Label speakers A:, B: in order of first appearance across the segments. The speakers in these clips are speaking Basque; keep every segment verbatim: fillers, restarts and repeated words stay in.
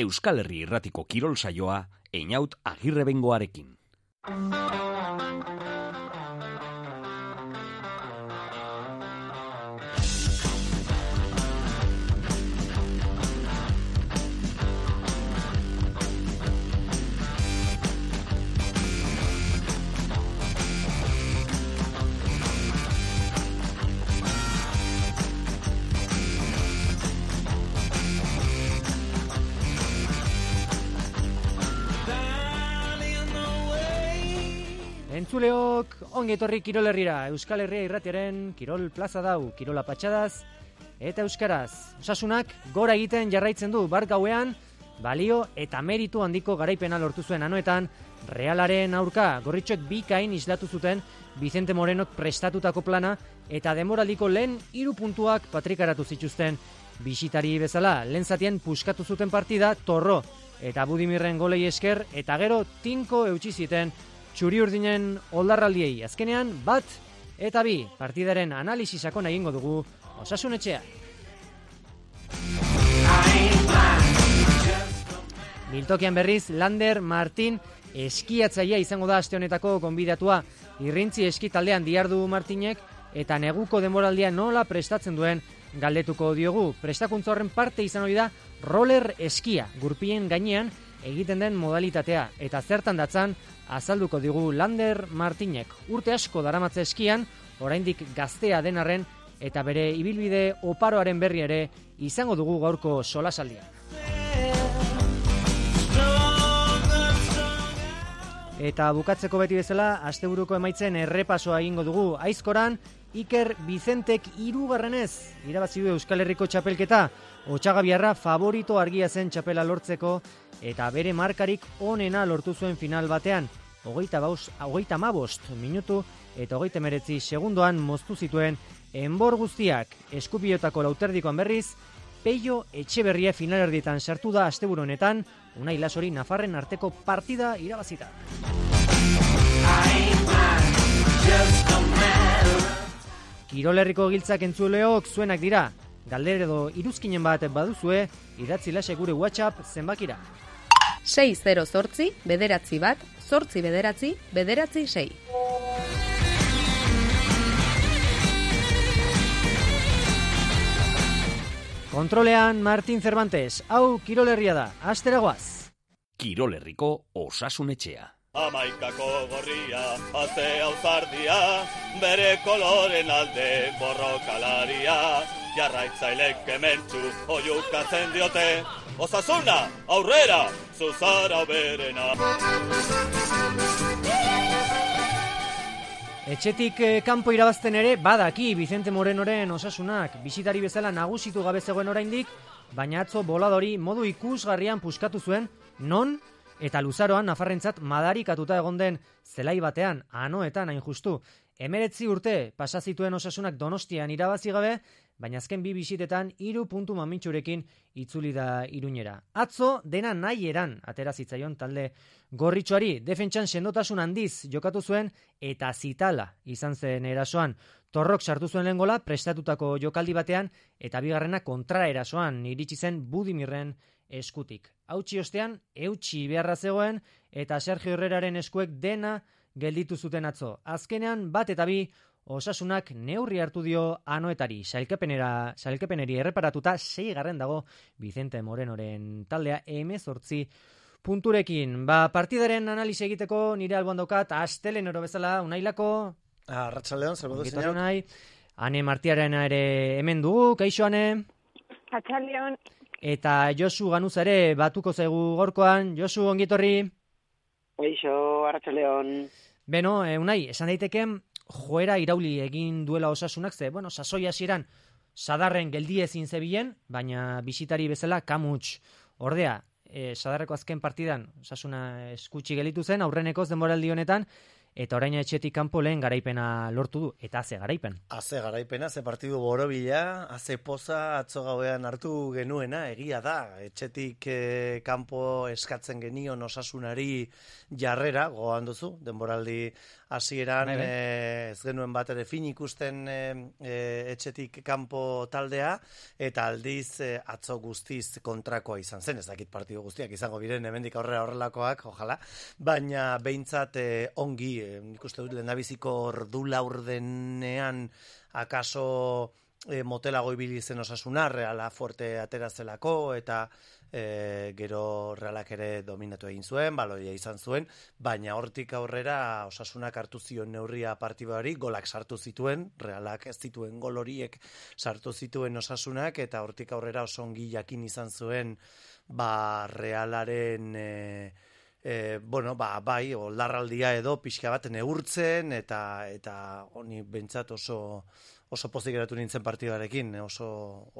A: Euskal Herri Irratiko kirol saioa Einaut Agirrebengoarekin.
B: Entzuleok, ongi etorri Kirol Herrira, Euskal Herria Irratiaren Kirol Plaza dau, Kirola patxadaz eta euskaraz. Osasunak gora egiten jarraitzen du bart gauean, balio eta meritu handiko garaipena lortu zuen anoetan, Realaren aurka gorritxoek bikain islatu zuten Vicente Morenok prestatutako plana eta demoraldiko lehen hiru puntuak patrikaratu zituzten bisitari bezala. Lehen zatien puskatu zuten partida, Torro eta Budimirren golei esker eta gero tinko eutsi ziten txuri urdinen oldarraldiei. Azkenean bat eta bi partidaren analisi sakona egingo dugu Osasun Etxea. Biltokian berriz Lander Martin eskiatzailea izango da aste honetako gonbidatua. Irrintzi eski taldean diardu Martinek eta neguko denboraldia nola prestatzen duen galdetuko diogu. Prestakuntza horren parte izan hori da roller eskia, gurpien gainean egiten den modalitatea eta zertan datzan azalduko digu Lander Martinek. Urte asko daramatza eskian, oraindik gaztea den arren eta bere ibilbide oparoaren berri ere izango dugu gaurko solasaldia. Eta bukatzeko beti bezala, asteburuko emaitzen errepasoa egingo dugu. Aizkoran, Iker Vicentek hirugarrenez irabazi du Euskal Herriko txapelketa. Otxagabiarra favorito argia zen txapela lortzeko eta bere markarik onena lortu zuen final batean. Hogeita hamabost minutu eta hogeita hemeretzi segundoan moztu zituen enbor guztiak. Eskupiotako lauterdikoan berriz, Peio Etxeberria finalerdietan sartu da asteburu honetan, Unai Lasori Nafarren arteko partida irabazita. Kirol Herriko giltzak entzuleok zuenak dira. Galder edo iruzkinen bat baduzue, idatzi lasek gure WhatsApp zenbakira.
C: sei zero zortzi, bederatzi bat, zortzi bederatzi, bederatzi sei.
B: Kontrolean Martin Cervantes, hau Kirol Herria da, asteragoaz.
A: Kirol Herriko Osasun Etxea.
D: Amaikako gorria, azte auzardia, bere koloren alde borrokalaria, jarraitzailek hementsu oiukatzen diote, Osasuna, aurrera, zuzara berena.
B: Etxetik eh, kanpo irabazten ere badaki Vicente Morenoren Osasunak bisitari bezala nagusitu gabe zegoen oraindik, baina atzo boladori modu ikusgarrian puskatu zuen, non eta luzaroan Nafarrentzat madarikatuta egon den zelai batean, anoetan hain justu. Emeretzi urte pasa zituen Osasunak Donostian irabazi gabe, baina azken bi bisitetan hiru puntu mamintxurekin itzuli da Iruñera. Atzo dena nahi eran atera zitzaion talde gorritxoari, defentsan sendotasun handiz jokatu zuen eta zitala izan zen erasoan. Torrok sartu zuen lehen gola prestatutako jokaldi batean eta bigarrena kontra erasoan iritsi zen Budimirren eskutik. Hautsi ostean, eutsi beharra zegoen eta Sergio Herreraren eskuek dena gelditu zuten atzo. Azkenean bat eta bi Osasunak neurri hartu dio anoetari, sailkapenera, sailkapeneri erreparatuta seigarren dago Vicente Morenoren taldea hemezortzi punturekin. Ba, partidaren analisi egiteko nire alboan daukat, astelenero bezala, Unailako.
E: Arratsaldeon, saludos, señor.
B: Unai, Ane Martiarena ere hemen dugu, kaixo Ane.
F: Arratsaldeon.
B: Eta Josu Ganuza ere batuko zaigu gorkoan. Josu, ongitorri.
F: Kaixo, arratsaldeon.
B: Beno, eh, Unai, esan daiteken joera irauli egin duela Osasunak, ze, bueno, sasoi hasieran sadarren geldi ezin zebilen, baina bisitari bezala kamuts. Ordea, e, sadarreko azken partidan Osasuna eskutsi gelitu zen, aurrenekoz denboraldi honetan, eta orain etxetik kanpo lehen garaipena lortu du, eta ze garaipen.
E: Haze garaipena, ze partidu borobila, haze poza atzo gauean hartu genuena, egia da, etxetik eh, kanpo eskatzen genion Osasunari jarrera, gogoan duzu, denboraldi hasieran eh, ez genuen bat ere fin ikusten eh, eh, etxetik kanpo taldea, eta aldiz eh, atzo guztiz kontrakoa izan zen, ez dakit partidu guztiak izango biren hemendik aurrera horrelakoak, ojala, baina behintzat eh, ongi, eh, ikuste dut lehendabiziko ordu laurdenean akaso eh, motelago ibili zen Osasuna, Reala fuerte aterazelako, eta E, gero Realak ere dominatu egin zuen, baloia izan zuen, baina hortik aurrera Osasunak hartu zion neurria partiduari, golak sartu zituen, Realak ez zituen gol horiek sartu zituen Osasunak, eta hortik aurrera oso ongi jakin izan zuen ba Realaren e, e, bueno, ba, bai, oldarraldia edo pixka bat neurtzen, eta eta honi behintzat oso oso pozik geratu nintzen partidarekin, oso,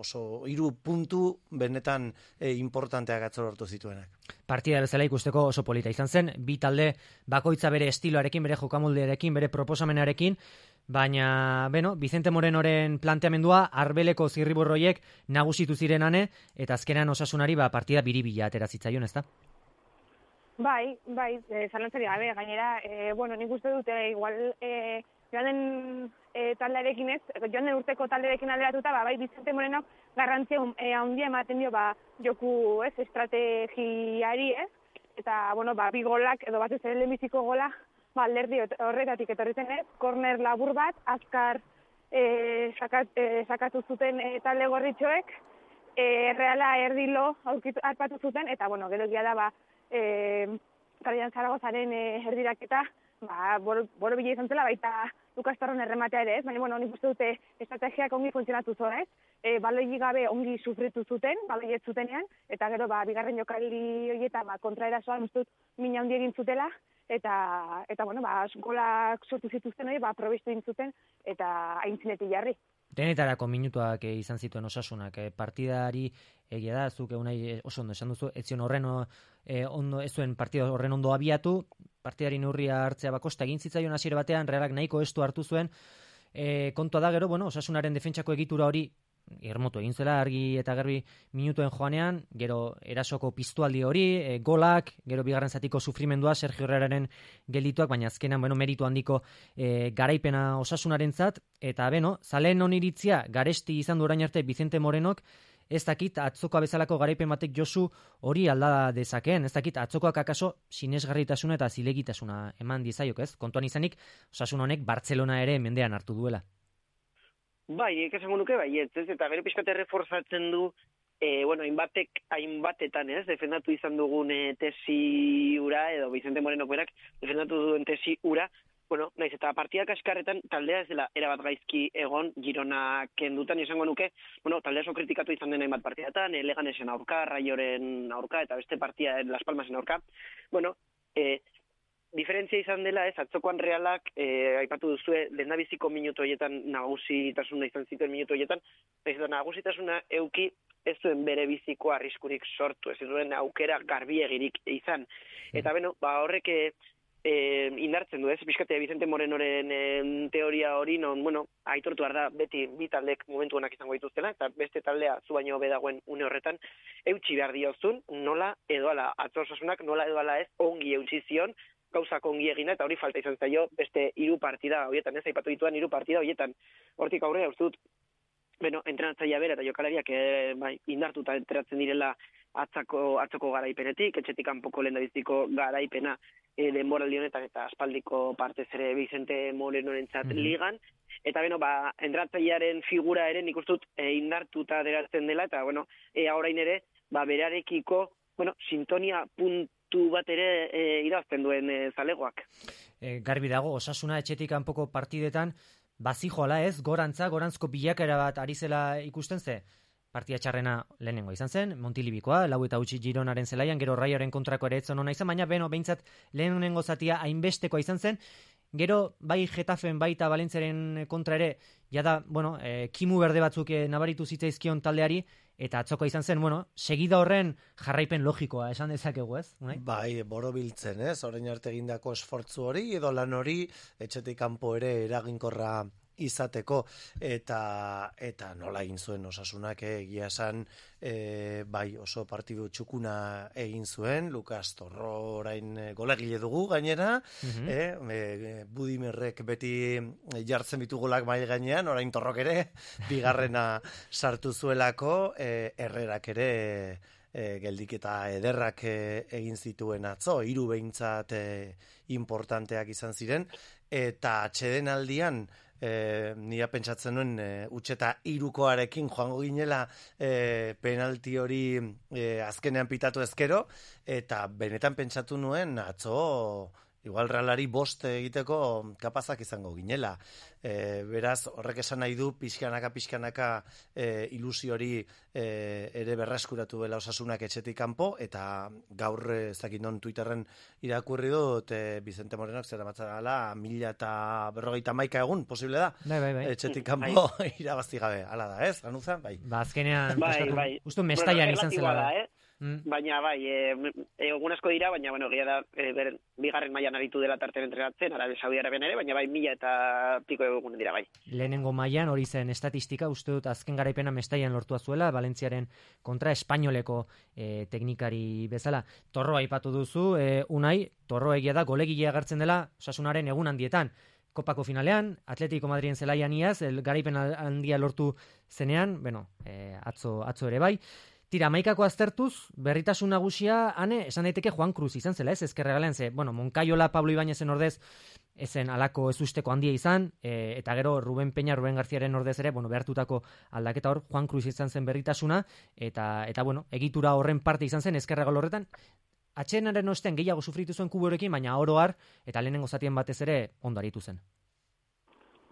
E: oso hiru puntu benetan e, importanteak atzo lortu zituenak.
B: Partida bezala ikusteko oso polita izan zen, bi talde bakoitza bere estiloarekin, bere jokamoldearekin, bere proposamenarekin, baina, beno, Vicente Morenoren planteamendua arbeleko zirriborroiek nagusitu ziren ane, eta azkenan Osasunari ba, partida biribila atera zitzaion, ezta?
G: Bai, bai, e, zalantzari gabe, gainera, e, bueno, nik uste dute, igual, e, joan den e, taldearekin ez, joan den urteko taldearekin alderatuta, ba, bai, Vicente Morenok garrantzia e, handia ematen dio, ba, joku, ez, estrategiari, ez, eta, bueno, ba, bi golak, edo bat ez ere lehenbiziko gola, ba, alderdi horretatik etorri zen, ez, korner labur bat, azkar e, sakat, e, sakatu zuten e, talde gorritxoek, e, Reala erdilo harpatu zuten, eta, bueno, gero egia da, ba, e, Karian Zaragozaren e, erdiraketa, ba, boro, boro bila izan zela, baita Lukas Torron errematea ere, ez? Baina, bueno, nik uste dute estrategiak ongi funtzionatu zuen, ez? E, baloi gabe ongi sufritu zuten, baloi ez zutenean, eta gero, ba, bigarren jokaldi horietan, ba, kontraerasoan uste dut mina handi egin zutela, eta, eta bueno, ba, golak sortu zituzten hori, ba, probestu egin zuten, eta aintzinetik jarri.
B: Denetarako minutuak eh, izan zituen Osasunak, eh, partidari egia da, zuk egunai oso ondo esan duzu, ez zion horren eh, ondo, ez zuen partida horren ondo abiatu, partidari neurria hartzea bakosta egin zitzaion hasiera batean, Realak nahiko estu hartu zuen, eh, kontua da gero, bueno, Osasunaren defentsako egitura hori irmotu egin zela argi eta garbi minutuen joanean, gero erasoko piztualdi hori, e, golak, gero bigarren zatiko sufrimendua Sergio Herreraren geldituak, baina azkenan, bueno, meritu handiko e, garaipena Osasunarentzat, eta beno, zaleen oniritzia garesti izan du orain arte Vicente Morenok, ez dakit atzokoa bezalako garaipen batek Josu hori alda dezakeen, ez dakit atzokoak akaso sinesgarritasuna eta zilegitasuna eman dizaiok, ez? Kontuan izanik, Osasun honek Bartzelona ere mendean hartu duela.
F: Bai, esango nuke bai, ez, ez, eta gero pixkat erreforzatzen du, e, bueno, hainbatek, hainbatetan, ez, defendatu izan dugun e, tesi ura, edo Vicente Moreno berak defendatu duen tesi ura, bueno, naiz eta partidak askarretan taldea ez dela erabat gaizki egon Girona kendutan izango nuke, bueno, taldea oso kritikatu izan den hainbat partidatan, e, Leganesen aurka, Raioren aurka, eta beste partida Las Palmasen aurka, bueno, e, diferentzia izan dela, ez, atzokoan Realak, eh, aipatu duzue, lehendabiziko minutu horietan nagusitasuna izan zituen minutu horietan, ez da nagusitasuna euki ez zuen bere biziko arriskurik sortu, ez zuen aukera garbiegirik izan. Eta beno, ba horrek eh, indartzen du, ez, pixkate Vicente Morenoren eh, teoria hori, non, bueno, aitortu behar da, beti bi taldek momentu honak izango dituztela, eta beste taldea zu baino hobe dagoen une horretan, eutxi behar diozun, nola edo ala, atzo Osasunak nola edo ala ez ongi eutxi zion, gauzak ongi egina, eta hori falta izan zaio beste hiru partida horietan, ez aipatu dituan hiru partida horietan. Hortik aurrera uste dut, bueno, entrenatzailea bera eta jokalariak e, bai, indartuta enteratzen direla atzako, atzoko garaipenetik, etxetik kanpoko lehendabiziko garaipena e, denboraldi honetan eta aspaldiko partez ere Vicente Morenorentzat mm-hmm. ligan, eta beno, ba, entrenatzailearen figura ere nik uste dut e, indartuta deratzen dela, eta bueno, e, orain ere, ba, berarekiko, bueno, sintonia puntu bat ere e, irazten duen e, zalegoak.
B: E, garbi dago, Osasuna etxetik kanpoko partidetan bazijoala ez, gorantza, gorantzko bilakaera bat ari zela ikusten ze, partida txarrena lehenengo izan zen, Montilibikoa, lau eta utzi Gironaren zelaian, gero Raioren kontrako ere etzon hona izan, baina beno, behintzat lehenengo zatia hainbestekoa izan zen, gero bai Getafen baita Valentziaren kontra ere, jada, bueno, e, kimu berde batzuk e, nabaritu zitzaizkion taldeari, eta atzoko izan zen, bueno, segida horren jarraipen logikoa esan dezakegu, ez? Unai?
E: Bai, borobiltzen, ez? Orain arte egindako esfortzu hori edo lan hori etxetik kanpo ere eraginkorra izateko eta eta nola egin zuen Osasunak egia esan e, bai oso partidu txukuna egin zuen Lukas Torro orain e, golegile dugu gainera mm-hmm. e, e, Budimerrek beti jartzen ditu golak mai gainean orain Torrok ere bigarrena sartu zuelako e, Herrerak ere e, geldiketa ederrak e, egin zituen atzo hiru behintzat e, importanteak izan ziren eta atsedenaldian E, nia pentsatzen nuen e, utxeta irukoarekin joango ginela e, penalti hori e, azkenean pitatu ezkero eta benetan pentsatu nuen atzo igual Realari bost egiteko kapazak izango ginela. E, beraz, horrek esan nahi du pixkanaka pixkanaka e, ilusio hori e, ere berreskuratu dela Osasunak etxetik kanpo eta gaur ez dakit non Twitterren irakurri dut e, Vicente Morenok zer amatzala mila eta berrogeita hamaika egun posible da.
B: Bai, bai, bai.
E: Etxetik kanpo irabazi gabe. Hala da, ez? Ganuza? Bai.
B: Ba, azkenean
F: bai, bai.
B: Justu Mestaian bueno, izan zela.
F: Da, eh? Mm. Baina bai, egun asko dira, baina bueno, egia da e, ber, bigarren mailan aritu dela tarten entrenatzen, Arabia Saudi Arabian ere, baina bai mila eta piko egun dira bai.
B: Lehenengo mailan hori zen estatistika, uste dut azken garaipena Mestaian lortua zuela, Valentziaren kontra espainoleko e, teknikari bezala. Torro aipatu duzu, e, Unai, Torro egia da golegile agertzen dela Osasunaren egun handietan. Kopako finalean, Atletico Madriden zelaian iaz, garaipen handia lortu zenean, bueno, e, atzo, atzo ere bai. Tira, amaikako aztertuz, berritasun nagusia, ane, esan daiteke Juan Cruz izan zela, ez, ezkerregalean ze, bueno, Moncayola, Pablo Ibáñezen ordez, ezen alako ezusteko handia izan, e, eta gero Ruben Peña, Ruben Garziaren ordez ere, bueno, behartutako aldaketa hor, Juan Cruz izan zen berritasuna, eta, eta bueno, egitura horren parte izan zen ezkerregal horretan, atxenaren ostean gehiago sufritu zuen kuborekin, baina oro har, eta lehenengo zatien batez ere ondo aritu zen.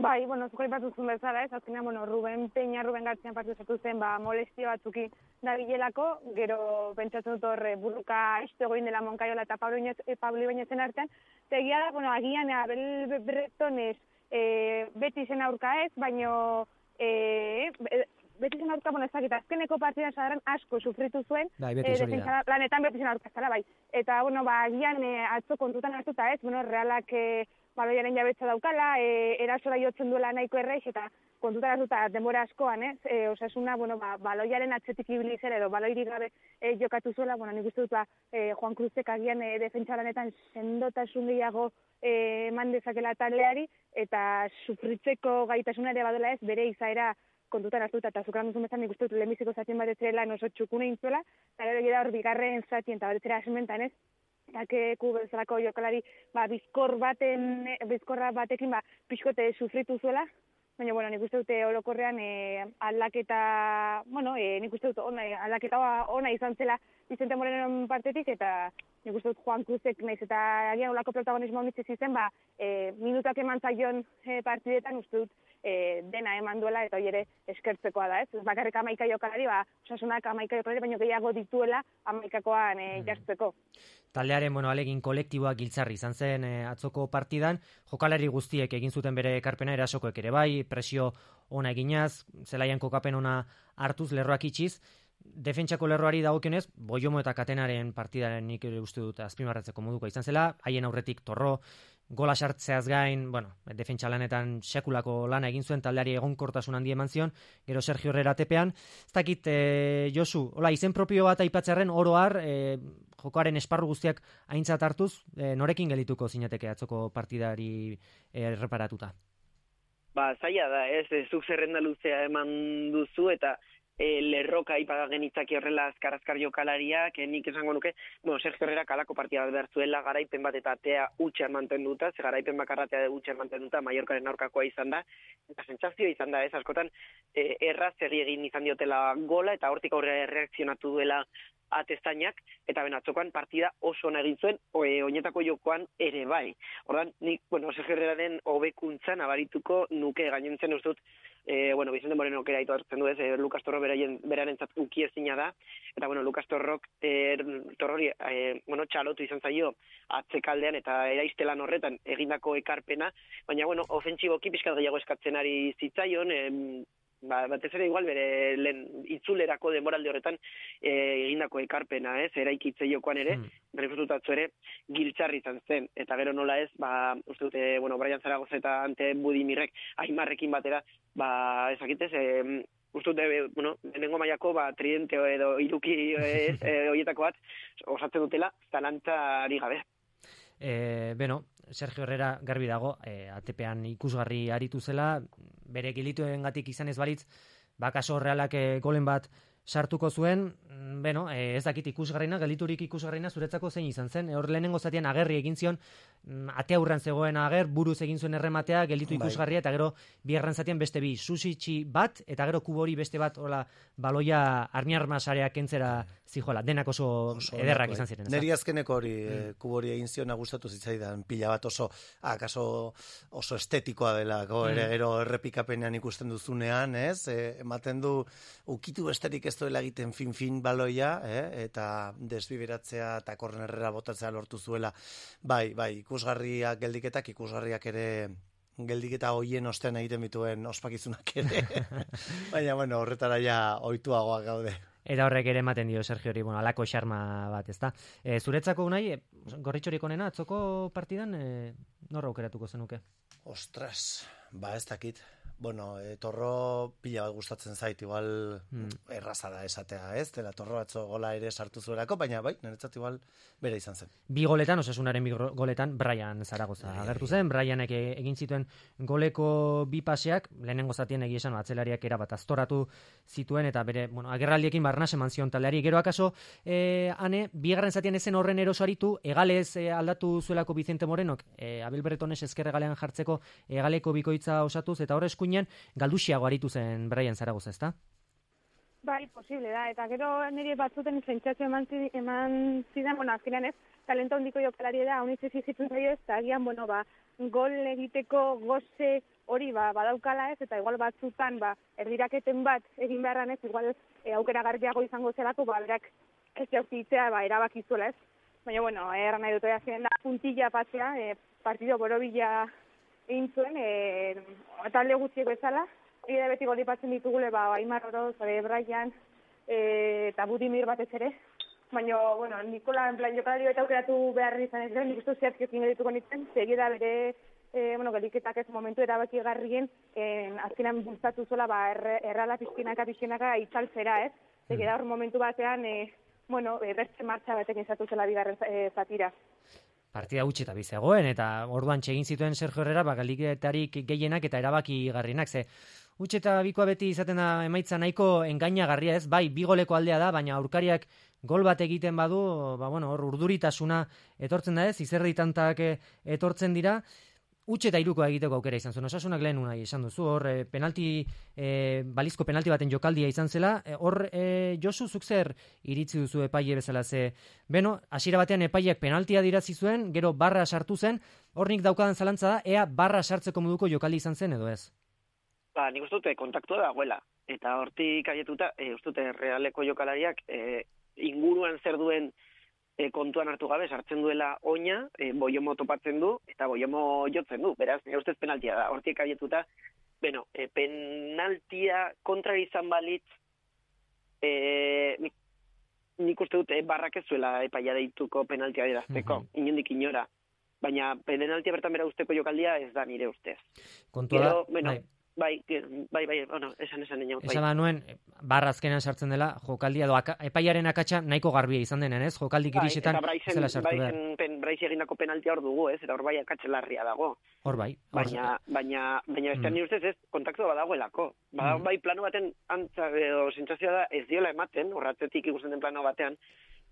G: Bai, bueno, zuko ipatu zuen bezala, ez, azkenean, bueno, Ruben Peña, Ruben Gartzian partidu zatu zen, ba, molestio batzuki da bilelako, gero pentsatzen dut horre burruka estu egoin dela Moncayola eta Pablo, Iñez, eh, Pablo Ibañezen artean, eta egia da, bueno, agian, Abel Bretonez eh, beti zen aurka ez, baino eh, beti zen aurka, bueno, ez dakit, azkeneko partidan zadaran asko sufritu zuen,
B: bai, beti
G: eh, defentsa lanetan beti zen aurka zela, bai. Eta, bueno, ba, agian eh, atzo kontutan hartuta ez, bueno, Realak eh, baloiaren jabetza daukala, e, erasora jotzen duela nahiko erreix, eta kontutan hartuta denbora askoan, ez? E, Osasuna, bueno, ba, baloiaren atzetik ibili zer edo baloirik gabe e, jokatu zuela, bueno, nik uste dut, ba, e, Juan Cruzek agian e, defentsa lanetan sendotasun gehiago e, eman dezakela taldeari, eta sufritzeko gaitasuna ere badela ez, bere izaera kontutan hartuta, eta zukran duzun bezan nik uste dut lehenbiziko zatien bat etzerela oso txukune intzuela, eta gero egia da hor bigarren zatien, eta bat etzera asementan ez, Takeku bezalako jokalari ba, bizkor baten, bizkorra batekin ba, pixkote sufritu zuela, baina bueno, nik uste dute orokorrean e, aldaketa, bueno, e, nik uste dut ona, aldaketa ona izan zela Vicente Morenoren partetik, eta nik uste dut Juan Cruzek naiz eta agian olako protagonismo honitz izen, ba, e, minutak eman zaion e, partidetan uste dut e, dena eman duela, eta hori ere eskertzekoa da, ez? Bakarrik amaika jokalari, ba, Osasunak amaika jokalari, baina gehiago dituela amaikakoan e, jartzeko.
B: Taldearen, bueno, alegin kolektiboak giltzarri izan zen e, atzoko partidan, jokalari guztiek egin zuten bere ekarpena, erasokoek ere bai, presio ona eginaz, zelaian kokapen ona hartuz, lerroak itxiz, defentsako lerroari dagokionez, Boiomo eta Katenaren partidaren nik uste dut azpimarratzeko moduko izan zela, haien aurretik Torro, gola sartzeaz gain, bueno, defentsa lanetan sekulako lana egin zuen taldeari egonkortasun handi eman zion, gero Sergio Herrera tepean, ez dakit, e, Josu, hola, izen propio bat aipatzearren oro har, e, jokoaren esparru guztiak aintzat hartuz, e, norekin gelituko zinateke atzoko partidari erreparatuta?
F: Ba, zaila da, ez, zuk zerrenda luzea eman duzu, eta e, lerroka ipaga genitzaki horrela azkar-azkar jokalariak, e, nik esango nuke, bueno, Sergio Herrera kalako partida behar zuela, garaipen bat eta atea utxa mantenduta, ze garaipen bakarratea utxa mantenduta, Mallorcaren aurkakoa izan da, eta sentsazio izan da, ez, askotan, e, erraz erri egin izan diotela gola, eta hortik aurrera erreakzionatu duela atestainak, eta ben atzokoan partida oso ona egin zuen, oe, oinetako jokoan ere bai. Ordan nik, bueno, Sergio Herreraren hobekuntza nabarituko nuke gainentzen uste dut, e, bueno, Vicente Moreno kera ito hartzen du ez, e, Lukas Torro beraien, beraren zat ukiezina da, eta bueno, Lukas Torrok, e, Torrori, e, bueno, txalotu izan zaio atzekaldean eta eraiztelan horretan egindako ekarpena, baina bueno, ofentsiboki pixkat gehiago eskatzen ari zitzaion, e, ba, batez ere igual bere lehen itzulerako denboraldi horretan e, egindako ekarpena, ez, eraikitze jokoan ere, mm. berrikututatzu ere, giltzarri izan zen, eta gero nola ez, ba, uste dute, bueno, Brian Zaragoza eta Ante Budimirrek, Aimarrekin batera, ba, ezakitez, e, uste dute, bueno, lehenengo mailako, ba, tridente edo iruki ez, e, horietako bat, osatzen dutela, zalantzari gabe.
B: E, beno, Sergio Herrera garbi dago, e, A T P-an ikusgarri aritu zela, bere gilituengatik izan ez balitz, bakaso Realak e, golen bat sartuko zuen, beno, e, ez dakit ikusgarrina, geliturik ikusgarrina zuretzako zein izan zen, hor lehenengo zatean agerri egin zion, ate aurran zegoen ager, buruz egin zuen errematea, gelitu ikusgarria, eta gero bigarren zatean beste bi, susitxi bat, eta gero kubori beste bat, hola, baloia armiarmasarea kentzera zijola, denak oso, oso ederrak izan ziren.
E: Neri azkeneko hori, mm. kubori egin zion gustatu zitzaidan, pila bat oso, akaso oso estetikoa delako, mm. ere gero errepikapenean ikusten duzunean, ez, e, ematen du, ukitu besterik ez duela egiten fin-fin baloia, eh? Eta desbiberatzea eta kornerrera botatzea lortu zuela. Bai, bai, ikusgarriak geldiketak, ikusgarriak ere geldiketa hoien ostean egiten bituen ospakizunak ere. Baina, bueno, horretara ja ohituagoak gaude.
B: Eta horrek ere ematen dio Sergio hori, bueno, alako xarma bat, ezta? E, zuretzako unai, e, gorritxorik onena, atzoko partidan, e, norra aukeratuko zenuke?
E: Ostras, ba ez dakit. Bueno, e, Torro pila bat gustatzen zait, igual hmm. erraza da esatea, ez? Dela Torro atzo gola ere sartu zuelako, baina bai, niretzat igual bere izan zen.
B: Bi goletan, Osasunaren bi goletan, Brian Zaragoza agertu zen, Brianek egin zituen goleko bi paseak, lehenengo zatien egia esan, atzelariak erabat aztoratu zituen, eta bere, bueno, agerraldiekin barnas eman zion taldeari. Gero akaso, e, ane, bigarren zatien ezen horren eroso aritu, egalez e, aldatu zuelako Vicente Morenok, e, Abel Bretones ezker egalean jartzeko egaleko bikoitza osatuz, eta horre eskuinean galduxiago aritu zen Brian Zaragoza, ezta?
G: Bai, posible da, eta gero nire batzuten zentzatio eman, eman zidan, bueno, azkenean ez, talento handiko jokalari da, honitz ezizitu zaio ez, eta agian, bueno, ba, gol egiteko goze hori ba, badaukala ez, eta igual batzutan, ba, erdiraketen bat egin beharran ez, igual e, aukera garbiago izango zelako, ba, berak ez jauzitzea, ba, erabakizuela ez. Baina, bueno, erran nahi dut, azkenean da, puntilla pasea, e, partido borobila egin zuen, e, talde gutxiek bezala, egida beti golipatzen ditugule, ba, Aimar Oroz, Brian, e, eta Budimir batez ere, baina, bueno, Nikola, en plan, jokalari eta aukeratu behar izan ez, nik uste zehatzik egin dituko nintzen, segida bere, e, bueno, geliketak ez momentu erabaki garrien, e, azkenan bultzatu zola, ba, erre, errala pizkinaka, pizkinaka itzaltzera, ez? Segida hor momentu batean, e, bueno, e, bertze martxa batek izatu zela bigarren e, zatira.
B: Partida gutxi eta bizegoen, eta orduan txegin zituen Sergio Herrera, ba, galiketarik gehienak eta erabaki garrienak, ze utxe eta bikoa beti izaten da emaitza nahiko engainagarria ez, bai, bi goleko aldea da, baina aurkariak gol bat egiten badu, ba, bueno, hor urduritasuna etortzen da ez, izerdi tantak etortzen dira, utxe eta irukoa egiteko aukera izan zuen. Osasunak lehen unai esan duzu, hor e, penalti, e, balizko penalti baten jokaldia izan zela, e, hor e, Josu zuk zer iritzi duzu epaile bezala, ze, beno, hasiera batean epaileak penaltia dirazi zuen, gero barra sartu zen, hor nik daukadan zalantza da, ea barra sartzeko moduko jokaldi izan zen edo ez?
F: Ba, nik uste dute kontaktua dagoela, eta hortik aietuta, e, uste dute Realeko jokalariak e, inguruan zer duen E, kontuan hartu gabe, sartzen duela oina, e, Boiomo topatzen du, eta Boiomo jotzen du. Beraz, nire ustez penaltia da. Hortik abietuta, bueno, e, penaltia kontra izan balitz, e, nik, nik uste dut, e, barrak ez zuela epaia deituko penaltia dirazteko, mm-hmm. inondik inora. Baina penaltia bertan bera usteko jokaldia ez da nire ustez.
B: Kontua da,
F: bueno, bai. Bai, bai, bai, bueno, esan esan eniau.
B: Esan da nuen, barra azkenean sartzen dela, jokaldia, do, aka, epaiaren akatsa nahiko garbia izan denen, ez? Jokaldik bai, irisetan zela sartu behar. Bai,
F: Braiz egindako penaltia hor dugu, ez? Eta hor bai akatzelarria dago.
B: Hor bai.
F: Baina, baina, baina bestean mm. nire ustez ez, kontaktu badagoelako. Bada, mm. bai, plano baten antza, edo sentsazioa da, ez diola ematen, horratzetik ikusten den plano batean,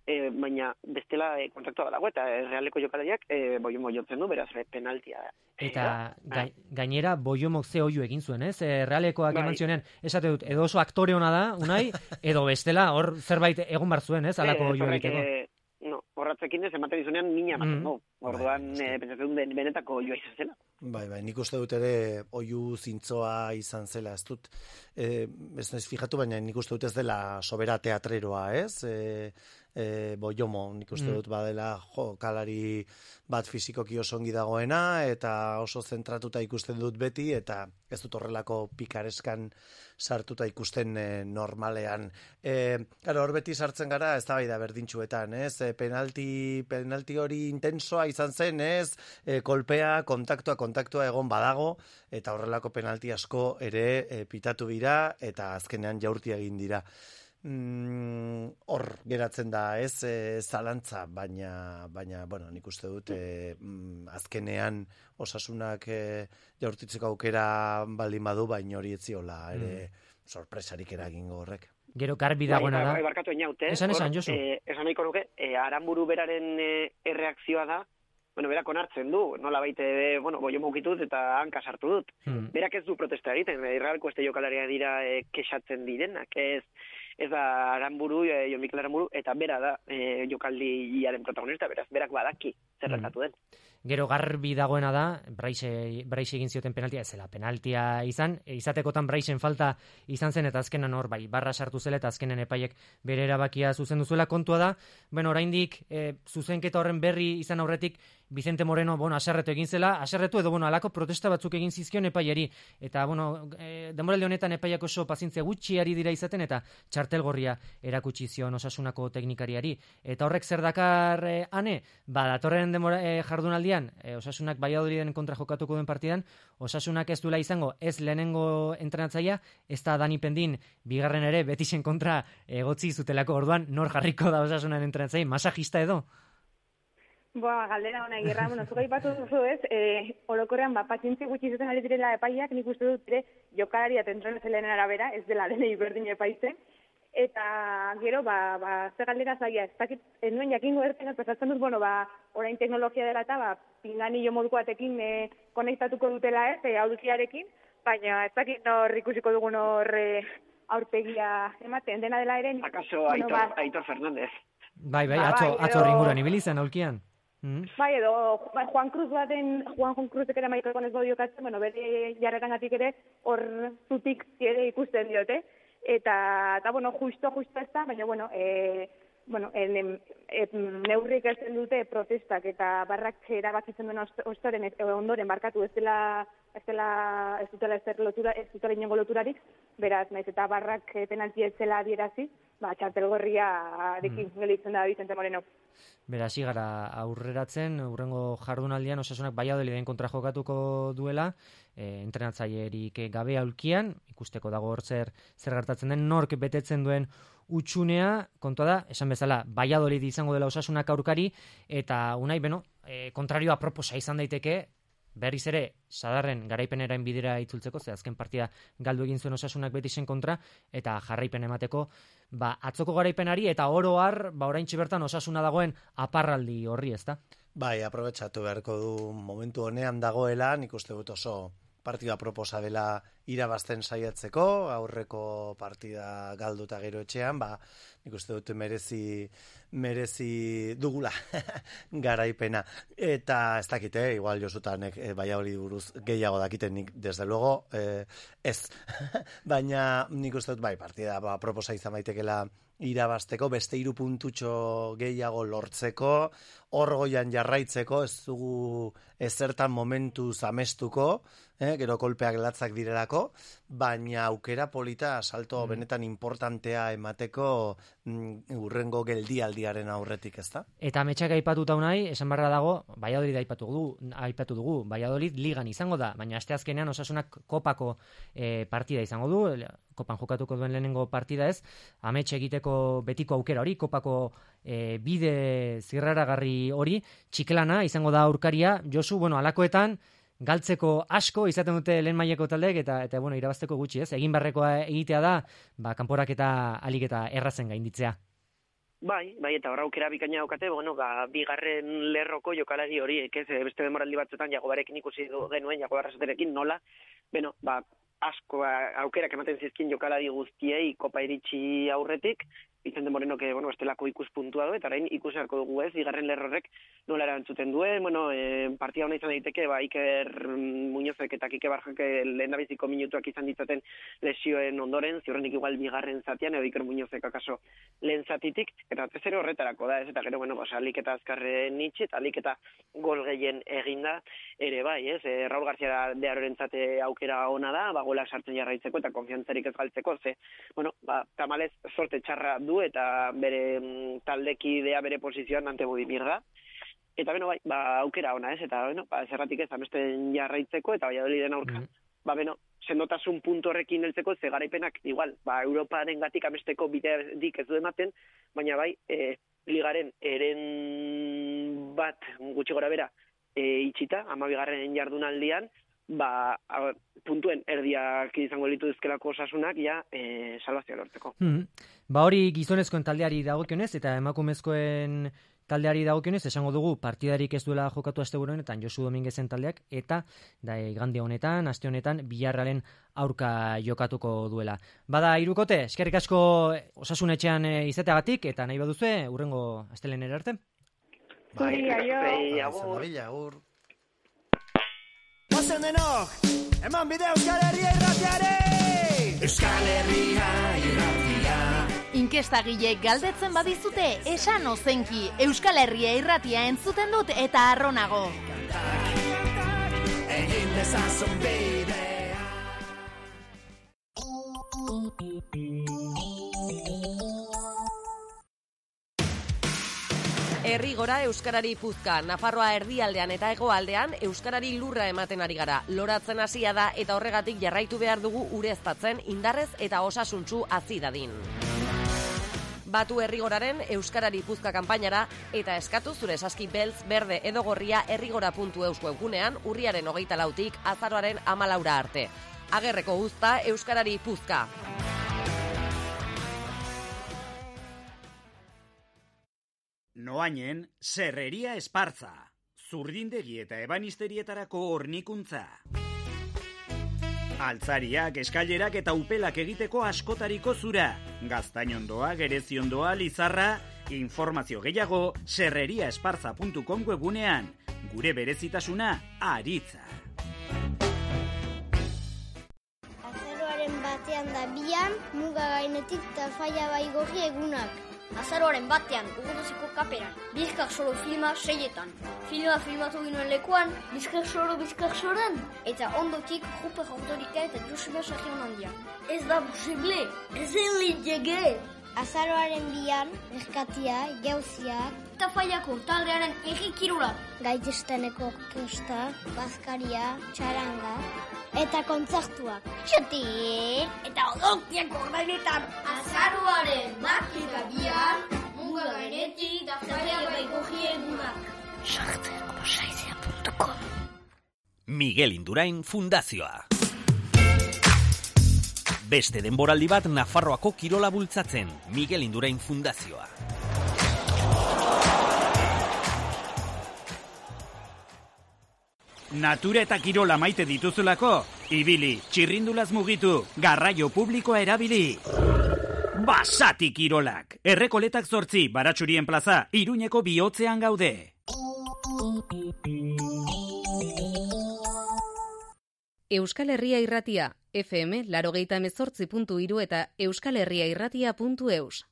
F: E, baina bestela e, kontaktua badago eta e, Realeko jokalariak e, Boiomo jotzen du, beraz e, penaltia da.
B: Eta ga, gainera Boiomok ze oiu egin zuen, ez? E, Realekoak bai. Eman zionean, esate dut, edo oso aktore ona da, unai, edo bestela, hor zerbait egon bar zuen, ez? Alako oiu egiteko. E,
F: no, horratzekin ez ematen dizunean mina ematen, mm. no. Orduan, bai, e, pentsatzen ben, benetako oioa izan zela.
E: Bai, bai, nik uste dut ere oiu zintzoa izan zela, ez dut, e, ez naiz fijatu, baina nik uste dut ez dela sobera teatreroa, ez? E, e, Boiomo, nik uste
B: Mm.
E: dut badela jokalari bat fizikoki oso ongi dagoena, eta oso zentratuta ikusten dut beti, eta ez dut horrelako pikareskan sartuta ikusten e, normalean. E, claro, hor beti sartzen gara, ez da bai da berdintxuetan, ez? E, penalti, penalti hori intensoa izan zen, ez? E, kolpea, kontaktua, kontaktua egon badago, eta horrelako penalti asko ere e, pitatu dira, eta azkenean jaurti egin dira. Mm, hor geratzen da, ez, e, zalantza, baina, baina, bueno, nik uste dut, e, mm, azkenean Osasunak e, jaurtitzeko aukera baldin badu, baina hori etziola ere sorpresarik eragingo horrek.
B: Gero garbi dagoena da.
F: Bai, barkatu eniaut, eh?
B: Esan, esan,
F: Hor,
B: Josu.
F: Eh, esan nahiko nuke, eh, Aranburu beraren eh, erreakzioa da, bueno, berak onartzen du, nola baite, bueno, boio mukitut eta hanka sartu dut.
B: Hmm.
F: Berak ez du protesta egiten, irralko este jokalaria dira eh, kexatzen direnak, ez ez da Aranburu, eh, Jon Mikel Aranburu, eta bera da eh, jokaldiaren protagonista, beraz, berak badaki zer gertatu den.
B: Gero garbi dagoena da, Braise, Braise egin zioten penaltia, ez zela penaltia izan, e, izatekotan Braisen falta izan zen, eta azkenan hor, bai, barra sartu zela, eta azkenen epaiek bere erabakia zuzendu zuela. Kontua da, bueno, oraindik e, zuzenketa horren berri izan aurretik, Vicente Moreno, bueno, aserretu egin zela, aserretu edo, bueno, alako protesta batzuk egin zizkion epaiari, eta, bueno, e, denboraldi honetan epaiak oso pazientzia gutxi ari dira izaten, eta txartel gorria erakutsi zion Osasunako teknikariari. Eta horrek zer dakar e, ane, ba, datorren demora, e, jardunaldian, e, Osasunak Valladoliden kontra jokatuko den partidan, Osasunak ez duela izango, ez lehenengo entrenatzaia, ez da Dani Pendin, bigarren ere, Betisen kontra egotzi zutelako, orduan, nor jarriko da Osasunaren entrenatzaia, masajista edo?
G: Boa, galdera hona egirra, bueno, zuka ipatu duzu ez, e, orokorrean, ba, pazientzi gutxi zuten ari direla epaiak, nik uste dut ere, jokalari eta entrenatzailearen arabera, ez dela denei berdin epaitzen, eta gero, ba, ba, ze galdera zaila, ez dakit, ez nuen jakingo erten, pesatzen dut, bueno, ba, orain teknologia dela eta, ba, pinganillo moduko batekin e, konektatuko dutela ez, e, aulkiarekin, baina ez dakit nor ikusiko dugun hor e, aurpegia ematen, dena dela ere.
F: Akaso
G: bueno,
F: Aitor,
G: ba,
F: Aitor Fernández.
B: Bai, bai,
G: Ba,
B: atzo,
G: bai,
B: atzo
G: edo-
B: ringuran ibili zen aulkian. Mm.
G: Bai, edo ba, Juan Cruz baten, Juan Juan Cruzek ere maikakon ez badu jokatzen, bueno, bere jarrerangatik ere hor zutik ere ikusten diote. Eta, eta bueno, justo, justo ez da, baina, bueno, e, bueno, en, en, en, neurrik ez dute protestak eta barrak erabakitzen duen ostoren, ez, ondoren barkatu ez dela, ez dela, ez dutela ez lotura, ez dutela inongo loturarik, beraz, naiz eta barrak penalti ez zela adierazi, ba, txartelgorria arekin mm. gelitzen da Vicente Moreno.
B: Beraz, gara aurreratzen, urrengo jardunaldian Osasunak Valladoliden kontra jokatuko duela, e, entrenatzailerik gabe aulkian, ikusteko dago hor zer, zer gertatzen den, nork betetzen duen utxunea, kontua da, esan bezala, Valladolid izango dela Osasunak aurkari, eta unai, beno, e, kontrarioa proposa izan daiteke, berriz ere, sadarren garaipenerain bidera itzultzeko, ze azken partida galdu egin zuen Osasunak Betisen kontra, eta jarraipen emateko, ba, atzoko garaipenari, eta oro har, ba, oraintxe bertan Osasuna dagoen aparraldi horri, ezta?
E: Bai, aprobetxatu beharko du momentu honean dagoela, nik uste dut oso partida proposa dela irabazten saiatzeko, aurreko partida galduta gero etxean, ba, nik uste dut merezi, merezi dugula garaipena. Eta ez dakite, igual Josutanek e, baina hori buruz gehiago dakiten nik, desde luego, e, ez. Baina nik uste dut, bai, partida ba, proposa izan baitekela irabazteko, beste hiru puntutxo gehiago lortzeko, hor goian jarraitzeko, ez dugu ezertan momentu zamestuko, eh, gero kolpeak latzak direlako, baina aukera polita salto mm. benetan importantea emateko mm, urrengo geldialdiaren aurretik, ezta?
B: Eta ametsak aipatuta unai, esan barra dago, Valladolid aipatu dugu, aipatu dugu, Valladolid ligan izango da, baina asteazkenean Osasunak kopako e, partida izango du, kopan jokatuko duen lehenengo partida ez, amets egiteko betiko aukera hori, kopako e, bide zirraragarri hori, txiklana izango da aurkaria, Josu, bueno, alakoetan, galtzeko asko izaten dute lehen mailako taldeek eta eta bueno, irabazteko gutxi, ez? Egin barrekoa egitea da, ba kanporak eta alik eta errazen gainditzea.
F: Bai, bai, eta horra aukera bikaina daukate, bueno, ba, bigarren lerroko jokalari horiek, ez, beste demoraldi batzuetan Jagobarekin ikusi genuen, Jagobar Rasoterekin, nola, bueno, ba, asko aukerak ematen zizkin jokalari guztiei kopa iritsi aurretik, Vicente Morenok, bueno, estelako ikuspuntua du, eta orain ikusarko dugu ez, bigarren lerrorrek nola erantzuten duen, bueno, e, partida hona izan daiteke, ba, Iker Muñozek eta Kike Barjak lehendabiziko minutuak izan ditzaten lesioen ondoren, ziurrenik igual bigarren zatian, edo Iker Muñozek akaso lehen zatitik, eta ez ere horretarako da, ez, eta gero, bueno, pues, alik eta azkarren itxe, eta alik eta gol gehien eginda, ere bai, ez, e, Raul García de Arorentzate aukera ona da, ba, golak sartzen jarraitzeko, eta konfiantzarik ez galtzeko, ze, bueno, ba, tamalez, sorte txarra du, eta bere mm, taldekidea bere posizioan Ante Budimir da. Eta beno, bai, ba, aukera ona, ez? Eta beno, ba, zerratik ez amesten jarraitzeko eta Valladoliden aurka. Mm. Ba, beno, sendotasun puntu horrekin heltzeko ze garaipenak igual, ba, Europaren gatik amesteko biderik ez du ematen, baina bai, e, ligaren eren bat gutxi gora bera e, itxita, amabigarren jardunaldian, ba, a, puntuen erdiak izango litu dizkelako osasunak, ja, e, salvazioa lortzeko.
B: Hmm. Ba hori gizonezkoen taldeari dagokionez, eta emakumezkoen taldeari dagokionez, esango dugu partidarik ez duela jokatu asteburuenetan Josu Dominguezen taldeak, eta da igande honetan, aste honetan, Villarrealen aurka jokatuko duela. Bada hirukote, eskerrik asko Osasun etxean izateagatik, eta nahi baduzue, hurrengo astelehenera arte.
F: Bai,
G: aio.
E: agur.
H: Ozen denok, eman bide Euskal Herria irratiare! Euskal Herria irratia.
I: Inkestagileek galdetzen badizute, esan ozenki, Euskal Herria irratia entzuten dut eta arronago.
H: Egin dezazun bidea.
J: Herri gora Euskarari puzka, Nafarroa erdialdean eta hegoaldean Euskarari lurra ematen ari gara. Loratzen hasia da eta horregatik jarraitu behar dugu ureztatzen indarrez eta osasuntsu hazi dadin. Batu herrigoraren Euskarari puzka kanpainara eta eskatu zure saski beltz, berde edo gorria herrigora puntu eus webgunean urriaren hogeita lautik azaroaren hamalaura arte. Agerreko uzta Euskarari puzka.
A: Noainen, Serreria Espartza, zurdindegi eta ebanisterietarako hornikuntza. Altzariak, eskailerak eta upelak egiteko askotariko zura. Gaztainondoa, gereziondoa, lizarra, informazio gehiago serreria espartza puntu com webunean. Gure berezitasuna, aritza.
K: Azaroaren batean da bian, muga gainetik eta faia baigorri egunak.
L: Azaroaren batean, uguduziko kaperan, Bizkar Soro filma seietan. Filma filmatu ginoen lekuan, Bizkar Soro, Bizkar Soren, eta ondotik Ruper Autorika eta Joseba Sarrion handia. Ez da posible, ez elitege!
K: Azaroaren bian, erkatia, jauziak,
L: eta faiako taldearen errikirula.
K: Gaitzesteneko orkesta, bazkaria, txaranga, eta kontzertuak.
L: Txotik! Eta odontiak ordainetan, azaroaren bat eta bian, muga gainetik da faia baigorri egunak.
K: sartzeko saizia puntu com.
A: Miguel Indurain Fundazioa. Beste denboraldi bat Nafarroako kirola bultzatzen, Miguel Indurain Fundazioa. Natura eta kirola maite dituzulako, ibili, txirrindulaz mugitu, garraio publikoa erabili. Basati kirolak, Errekoletak zortzi, Baratxurien plaza, Iruñeko bihotzean gaude.
C: Euskal Herria Irratia, F M laurogeita hemezortzi puntu hiru eta euskalherriairratia puntu eus.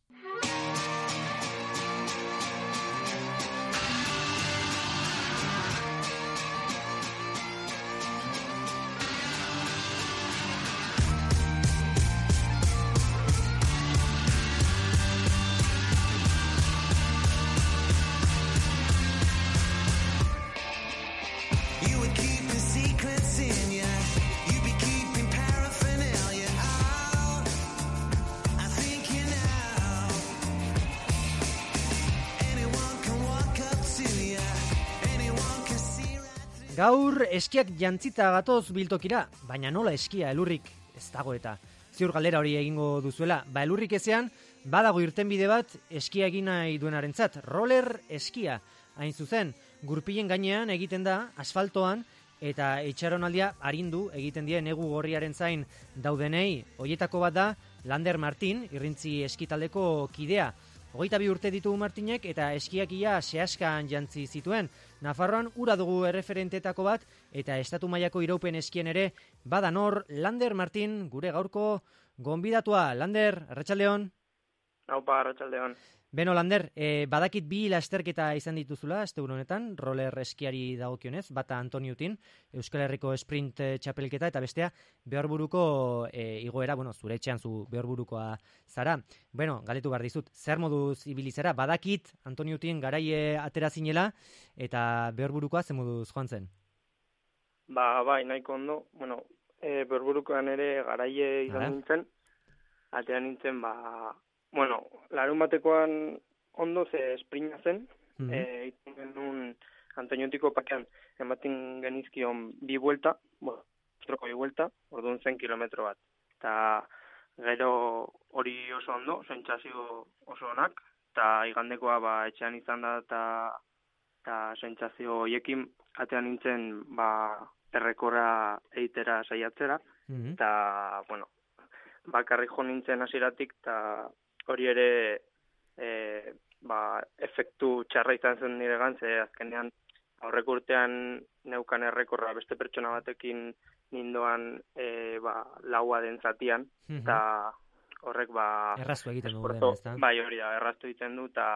B: Gaur eskiak jantzita gatoz biltokira, baina nola eskia elurrik ez dago eta. Ziur galdera hori egingo duzuela, ba elurrik ezean, badago irtenbide bat eskia egin nahi duenarentzat, roller eskia. Hain zuzen, gurpilen gainean egiten da, asfaltoan, eta itxaronaldia arindu egiten die negu gorriaren zain daudenei, hoietako bat da, Lander Martin, irrintzi eskitaldeko kidea. Hogeita bi urte ditugu Martinek eta eskiakia sehaskan jantzi zituen. Nafarroan ura dugu erreferentetako bat eta estatu mailako iraupen eskien ere badan hor Lander Martin gure gaurko gonbidatua. Lander, arratsaldeon.
M: Aupa, arratsaldeon.
B: Beno, Lander, eh, badakit bi lasterketa izan dituzula, asteburu honetan, roller eskiari dagokionez, bata Antoniutin, Euskal Herriko sprint txapelketa, eta bestea Behorburuko eh, igoera, bueno, zure etxean zu Behorburukoa zara. Bueno, galetu behar dizut, zer moduz ibili zara, badakit Antoniutin garaie atera zinela, eta Behorburukoa zer moduz joan zen?
M: Ba, bai, nahiko ondo, bueno, e, Behorburukoan ere garaie izan nintzen, atera nintzen, ba, bueno, larun batekoan ondo ze esprina zen, mm -hmm. e, genuen Antoniotiko pakean ematen genizkion bi buelta, bueno, troko bi buelta, orduan zen kilometro bat. Eta gero hori oso ondo, sentsazio oso onak, eta igandekoa ba, etxean izan da, eta eta sentsazio horiekin atean nintzen ba, errekorra eitera saiatzera,
B: mm-hmm.
M: eta, bueno, bakarrik jo nintzen hasieratik, eta hori ere e, ba, efektu txarra izan zen nire gantze, azkenean aurreko urtean neukan errekorra beste pertsona batekin nindoan e, ba, laua den zatian, eta mm-hmm. horrek ba...
B: Erraztu egiten du den, ez da?
M: Bai, hori da, erraztu egiten du, eta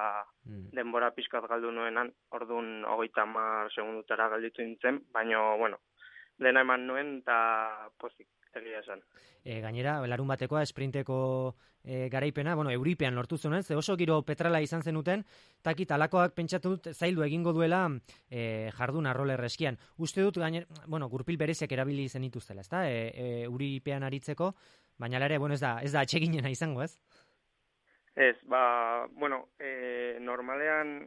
M: mm. denbora pixkat galdu nuenan, orduan hogeita hamar segundutara galditu nintzen, baina, bueno, dena eman nuen, eta pozik. Egia esan.
B: E, gainera, larun batekoa, esprinteko e, garaipena, bueno, euripean lortu zuen, ze oso giro petrala izan zenuten, taki talakoak pentsatu dut zaildu egingo duela e, jarduna roller eskian. Uste dut, gainera, bueno, gurpil bereziak erabili zen ituztela, ezta? E, e, euripean aritzeko, baina ere, bueno, ez da, ez da atseginena izango, ez?
M: Ez, ba, bueno, e, normalean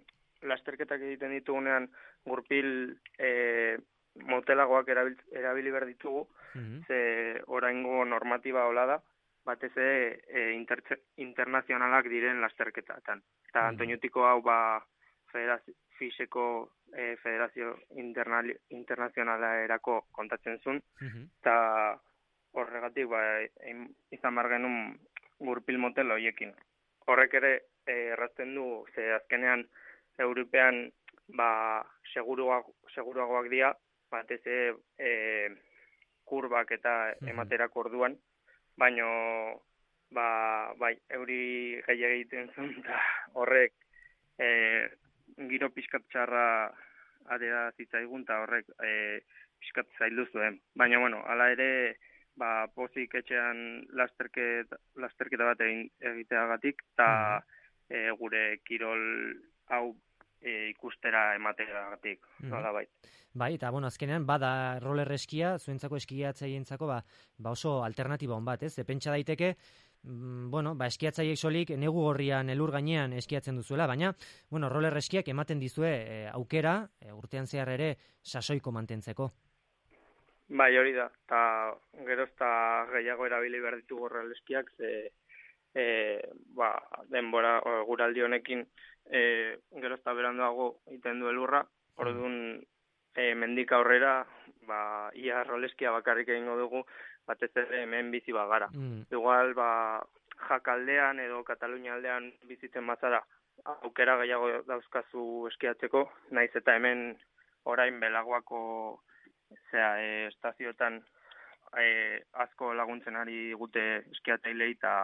M: lasterketak egiten ditugunean gurpil e, motelagoak erabil, erabili behar ditugu, mm-hmm. ze oraingo normatiba hola da, batez ere e, inter, internazionalak diren lasterketatan. Eta mm-hmm. Antoniutiko hau ba federazio, fiseko e, federazio internali, internazionala erako kontatzen zuen,
B: mm-hmm.
M: eta horregatik ba, izan bar genuen gurpil motel horiekin. Horrek ere e, errazten du, ze azkenean European ba, seguruagoak, seguruagoak dira, batez e, kurbak eta ematerako orduan, baino ba, bai, euri gehiago egiten zuen, eta horrek e, giro pixkat txarra adera zitzaigun, eta horrek e, pixkat zaildu zuen. Baina, bueno, hala ere, ba, pozik etxean lasterketa, lasterketa bat egiteagatik, eta e, gure kirol hau e, ikustera emateagatik, mm-hmm. nola bai.
B: Bai, eta bueno, azkenean bada roller eskia, zuentzako eskiatzaientzako ba, ba oso alternatiba on bat, ez? Pentsa daiteke, mm, bueno, ba eskiatzaiek solik negu gorrian elur gainean eskiatzen duzuela, baina bueno, roller eskiak ematen dizue e, aukera e, urtean zehar ere sasoiko mantentzeko.
M: Bai, hori da. Ta gero ezta gehiago erabili behar ditugu roller eskiak, ze e, ba, denbora guraldi honekin e, gero ezta beranduago egiten du elurra, orduan E, mendik aurrera, ba, ia roleskia bakarrik egingo dugu, batez ere hemen bizi bagara.
B: Mm.
M: Igual, ba, Jakaldean edo Katalunia aldean bizitzen bazara, aukera gehiago dauzkazu eskiatzeko, naiz eta hemen orain belagoako zera, e, estazioetan e, asko laguntzen ari gute eskiatzailei, eta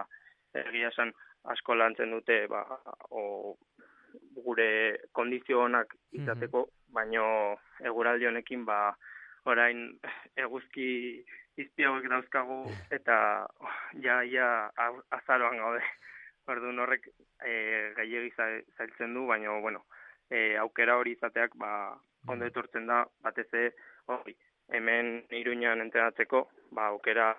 M: egia esan asko lantzen dute, ba, o, gure kondizio onak izateko, mm-hmm. baino eguraldi honekin ba orain eguzki izpiauek dauzkagu eta oh, ja ja azaroan gaude. Orduan horrek e, gehiegi zailtzen du, baino bueno, e, aukera hori izateak ba ondo etortzen da, batez ere hori hemen Iruñan entrenatzeko, ba aukera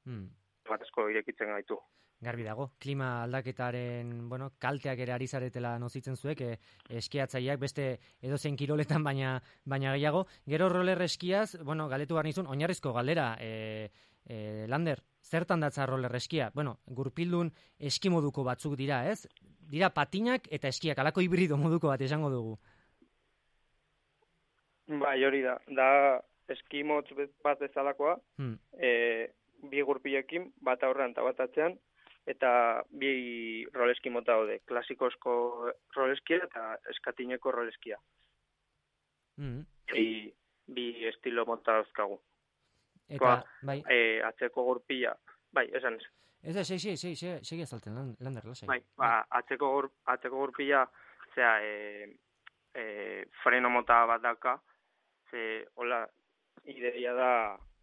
B: mm.
M: bat asko irekitzen gaitu.
B: Garbi dago, klima aldaketaren, bueno, kalteak ere ari zaretela nozitzen zuek, e, eskiatzaileak beste edozein kiroletan baina baina gehiago. Gero roller eskiaz, bueno, galetu behar nizun, oinarrizko galdera, e, e, Lander, zertan datza roller eskia? Bueno, gurpildun eski moduko batzuk dira, ez? Dira patinak eta eskiak, alako hibrido moduko bat esango dugu.
M: Bai, hori da, da eski motz bat bezalakoa,
B: hmm.
M: e, bi gurpilekin, bat aurrean eta bat atzean, eta bi roleski mota daude, klasikozko roleskia eta eskatineko roleskia.
B: Mm.
M: Bi, bi estilo mota dauzkagu.
B: Eta,
M: ba,
B: bai.
M: E, atzeko gurpila, bai, esan ez.
B: Ez da, segi, segi, segi, segi azalten, Lander, lasai.
M: Bai, ba, atzeko, gur, atzeko gurpila, zera, e, e, freno mota bat daka, ze, hola, ideia da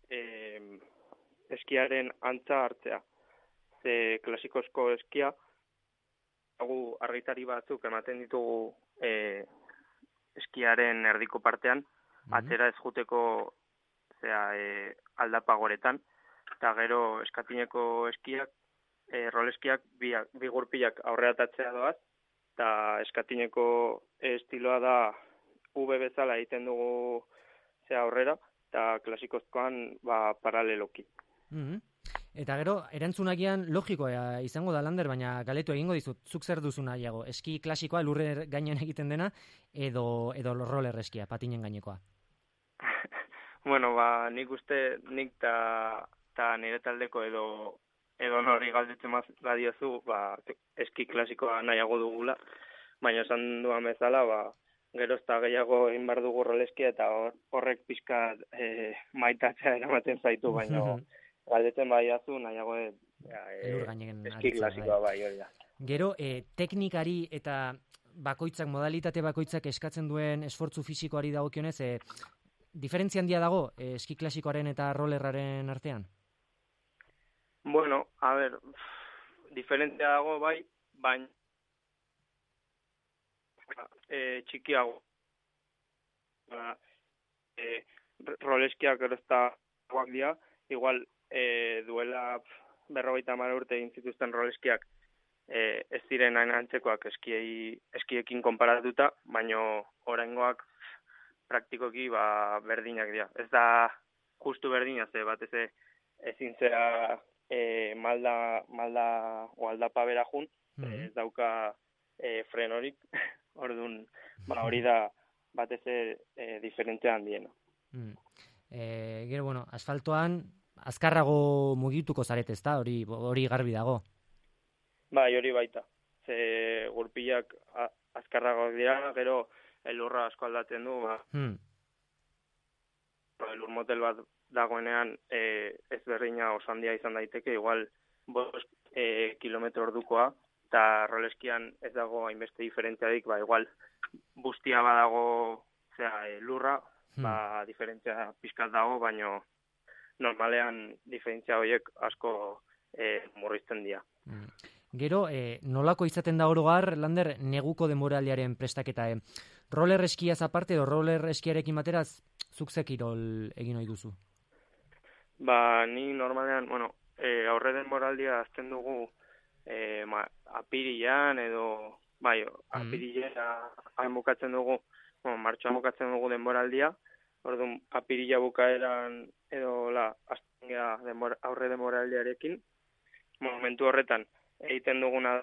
M: e, eskiaren antza hartzea. Ze klasikozko eskia, hagu argitari batzuk ematen ditugu e, eskiaren erdiko partean, mm-hmm. atzera ez juteko zera, e, aldapa goretan, eta gero eskatineko eskiak, e, roleskiak, bi, bi gurpilak aurreatatzea doaz, eta eskatineko estiloa da V bezala egiten dugu zera aurrera, eta klasikozkoan ba, paraleloki.
B: Mm-hmm. Eta gero, erantzunagian logikoa izango da, Lander, baina galetu egingo dizut, zuk zer duzu nahiago, eski klasikoa lurre gainean egiten dena, edo, edo roller eskia, patinen gainekoa?
M: Bueno, ba, nik uste, nik ta, ta nire taldeko edo, edo nori galdetzen badiozu, ba, eski klasikoa nahiago dugula, baina esan duan bezala, ba, gero ez da gehiago egin bar dugu roleskia, eta horrek pixka e, maitatzea eramaten zaitu, baina galdetzen badiazu nahiago e, e, eski klasikoa bai, hori da.
B: Gero, e, teknikari eta bakoitzak, modalitate bakoitzak eskatzen duen esfortzu fisikoari dagokionez, e, diferentzia handia dago e, eski klasikoaren eta rollerraren artean?
M: Bueno, a ver, diferentzia dago bai, baina e, txikiago. Ba, e, roleskiak gero ez da guak dira, igual E, duela berrogeita hamar urte egin zituzten roleskiak e, ez ziren hain antzekoak eskiei, eskiekin konparatuta, baino oraingoak praktikoki ba, berdinak dira. Ez da justu berdina, ze batez ezin zera e, malda, malda o aldapa bera jun, mm-hmm. ez dauka e, frenorik, orduan ba, hori da batez e, diferentzia handiena.
B: Mm. E, gero, bueno, asfaltoan azkarrago mugituko zarete, ezta? Hori hori garbi dago.
M: Bai, hori baita. Ze gurpilak azkarragoak dira, gero elurra asko aldatzen du, ba.
B: Hmm.
M: Elur motel bat dagoenean e, ez berdina oso handia izan daiteke, igual bost e, kilometro ordukoa, eta roleskian ez dago hainbeste diferentziadik, ba, igual bustia badago, zera, e, lurra, hmm. ba, diferentzia pizkat dago, baino normalean diferentzia horiek asko e, murrizten dira.
B: Mm. Gero, e, nolako izaten da orogar, Lander, neguko denboraldiaren prestaketa? E? Roller eskiaz aparte, edo roller eskiarekin bateraz, zuk ze kirol egin ohi duzu?
M: Ba, ni normalean, bueno, e, aurre denboraldia azten dugu e, ma, apirilean, edo, bai, apirilea hain bukatzen dugu, bueno, martxoan bukatzen dugu denboraldia, orduan apirila bukaeran edo la azten gara denbora, aurre denboraldiarekin. Momentu horretan egiten duguna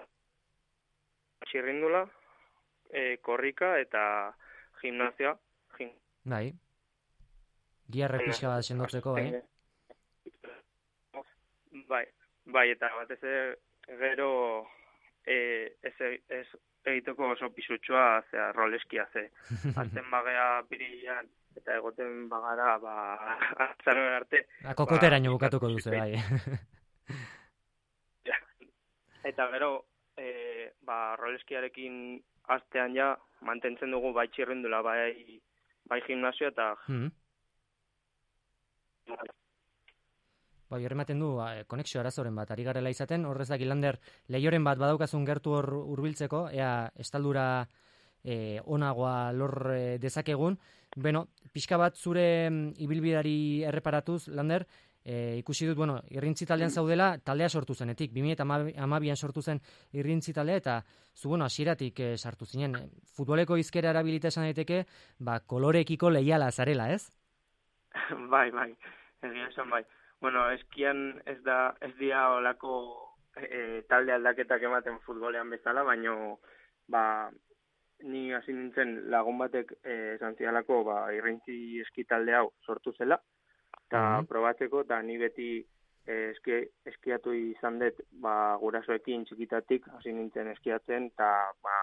M: txirrindula, e, korrika eta gimnazioa. Gim...
B: Bai. Giarre pixka bat sendotzeko, bai?
M: Bai, bai, eta batez gero e, ez, ez egiteko oso pisutxoa, zera, roleskia, ze. Azten bagea pirilean, eta egoten bagara, ba, atzaren arte.
B: Kokoteraino ba, bukatuko duze, bai.
M: Ja. Eta gero, e, ba, roleskiarekin astean ja, mantentzen dugu bai txirrindula, bai, bai gimnazio eta...
B: Mm. Bai, horrematen du, konexio arazoren bat, ari garela izaten, horrez daki Lander, lehioren bat badaukazun gertu hor hurbiltzeko, ea estaldura e, onagoa lor e, dezakegun. Beno, pixka bat zure ibilbidari erreparatuz, Lander, e, ikusi dut, bueno, irrintzi taldean zaudela, taldea sortu zenetik, bi mila hamabian sortu zen irrintzi taldea, eta zu, bueno, hasieratik e, sartu zinen. Futboleko izkera erabilita esan daiteke, ba, kolorekiko leiala zarela, ez?
M: Bai, bai, egia esan bai. Bueno, eskian ez da, ez dira olako e, talde aldaketak ematen futbolean bezala, baino, ba, ni hasi nintzen lagun batek e, esan zialako, ba, irrintzi eski talde hau sortu zela, eta mm-hmm. probatzeko, eta ni beti eski, eskiatu izan dut, ba, gurasoekin txikitatik, hasi nintzen eskiatzen, eta, ba,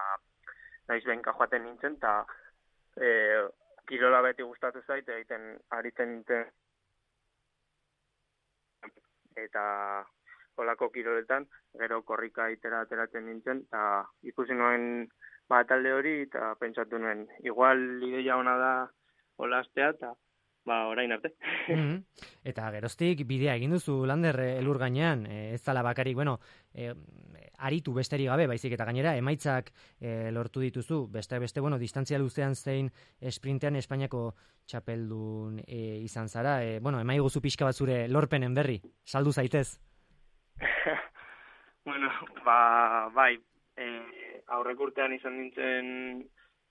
M: naiz behinka joaten nintzen, eta e, kirola beti gustatu zait, egiten aritzen nintzen, eta olako kiroletan, gero korrika itera ateratzen nintzen, eta ikusi nuen ba, talde hori, eta pentsatu nuen, igual ideia ona da olastea, eta ba, orain arte.
B: Mm-hmm. Eta geroztik bidea egin duzu, Lander, elur gainean, e, ez dala bakarik, bueno, e, aritu besterik gabe, baizik eta gainera, emaitzak e, lortu dituzu, beste beste, bueno, distantzia luzean zein esprintean Espainiako txapeldun e, izan zara, e, bueno, emai guzu pixka bat zure lorpenen berri, saldu zaitez.
M: Bueno, ba, bai, e, aurrek urtean izan nintzen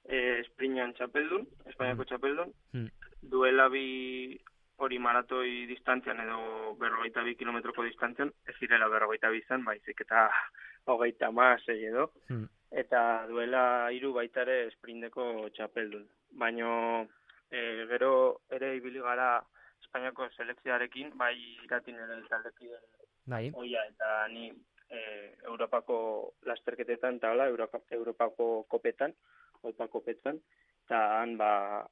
M: e, esprintean txapeldun, Espainiako txapeldun,
B: Mm.
M: duela bi hori maratoi distantzian edo berrogeita bi kilometroko distantzian, ez zirela berrogeita bi izan, baizik eta hogeita hamasei edo,
B: Mm.
M: eta duela hiru baita ere esprinteko txapeldun. Baino e, gero ere ibili gara Espainiako selekzioarekin, bai iratin ere taldekide
B: Bai.
M: oia, eta ni e, Europako lasterketetan, eta hola, Europa, Europako kopetan, Oipa kopetan, eta han ba,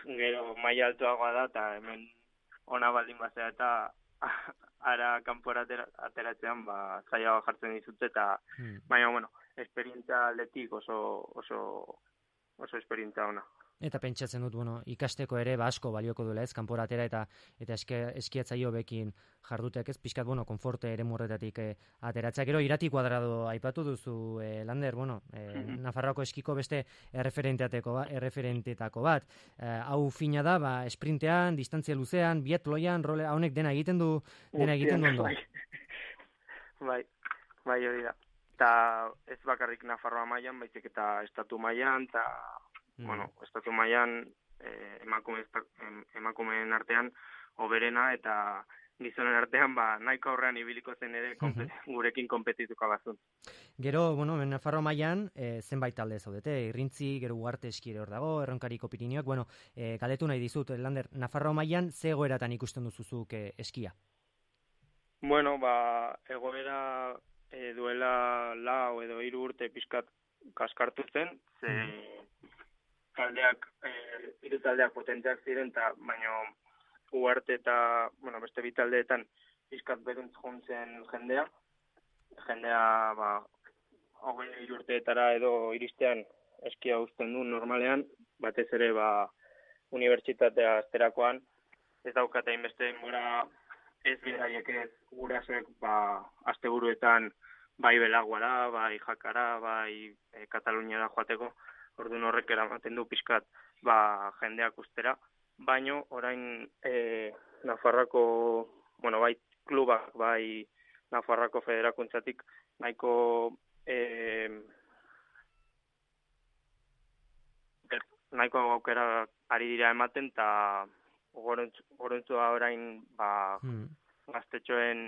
M: gero maila altuagoa da, eta hemen ona baldin bazea, eta ara kanpora atera, ateratzean ba, zailagoa jartzen dizut, eta
B: Mm.
M: baina, bueno, esperientzia aldetik oso, oso, oso esperientzia ona.
B: Eta pentsatzen dut, bueno, ikasteko ere ba asko balioko duela, ez, kanpora atera eta eta eske, eskiatzaio bekin jardutek, ez, pixkat, bueno, konforte ere morretatik eh, ateratzea. Gero irati kuadrado aipatu duzu, eh, Lander, bueno, eh, Nafarroako eskiko beste erreferenteateko ba, erreferentetako bat. Eh, hau fina da, ba, esprintean, distantzia luzean, biatloian, role, honek dena egiten du, dena egiten du ondo.
M: Bai, bai, bai hori da. Eta ez bakarrik Nafarroa mailan, baizik eta estatu mailan, eta Mm. bueno, estatu mailan eh, emakume, emakumeen artean hoberena eta gizonen artean ba, nahiko aurrean ibiliko zen ere konpe, gurekin konpetituko bazun.
B: Gero, bueno, Nafarro mailan e, zenbait talde zaudete, Irrintzi, gero Ugarte eskire hor dago, Erronkariko Pirinioak, bueno, e, galetu nahi dizut, Lander, Nafarro mailan ze egoeratan ikusten duzuzuk e, eskia?
M: Bueno, ba, egoera e, duela lau edo hiru urte pixkat kaskartu zen, ze mm. taldeak, eh, hiru taldeak potenteak ziren, eta baino Ugarte eta, bueno, beste bi taldeetan pixkat beruntz juntzen jendea. Jendea, ba, hogei urteetara edo iristean eskia uzten du normalean, batez ere, ba, unibertsitatea azterakoan, ez daukata inbeste denbora ez beraiek ez gurasoek, ba, asteburuetan bai Belaguara, bai Jakara, bai e, Kataluniara joateko, orduan horrek eramaten du pixkat ba, jendeak ustera, baino orain e, Nafarroako, bueno, bai klubak, bai Nafarroako federakuntzatik nahiko e, nahiko aukera ari dira ematen, eta gorontzua orain ba, hmm. gaztetxoen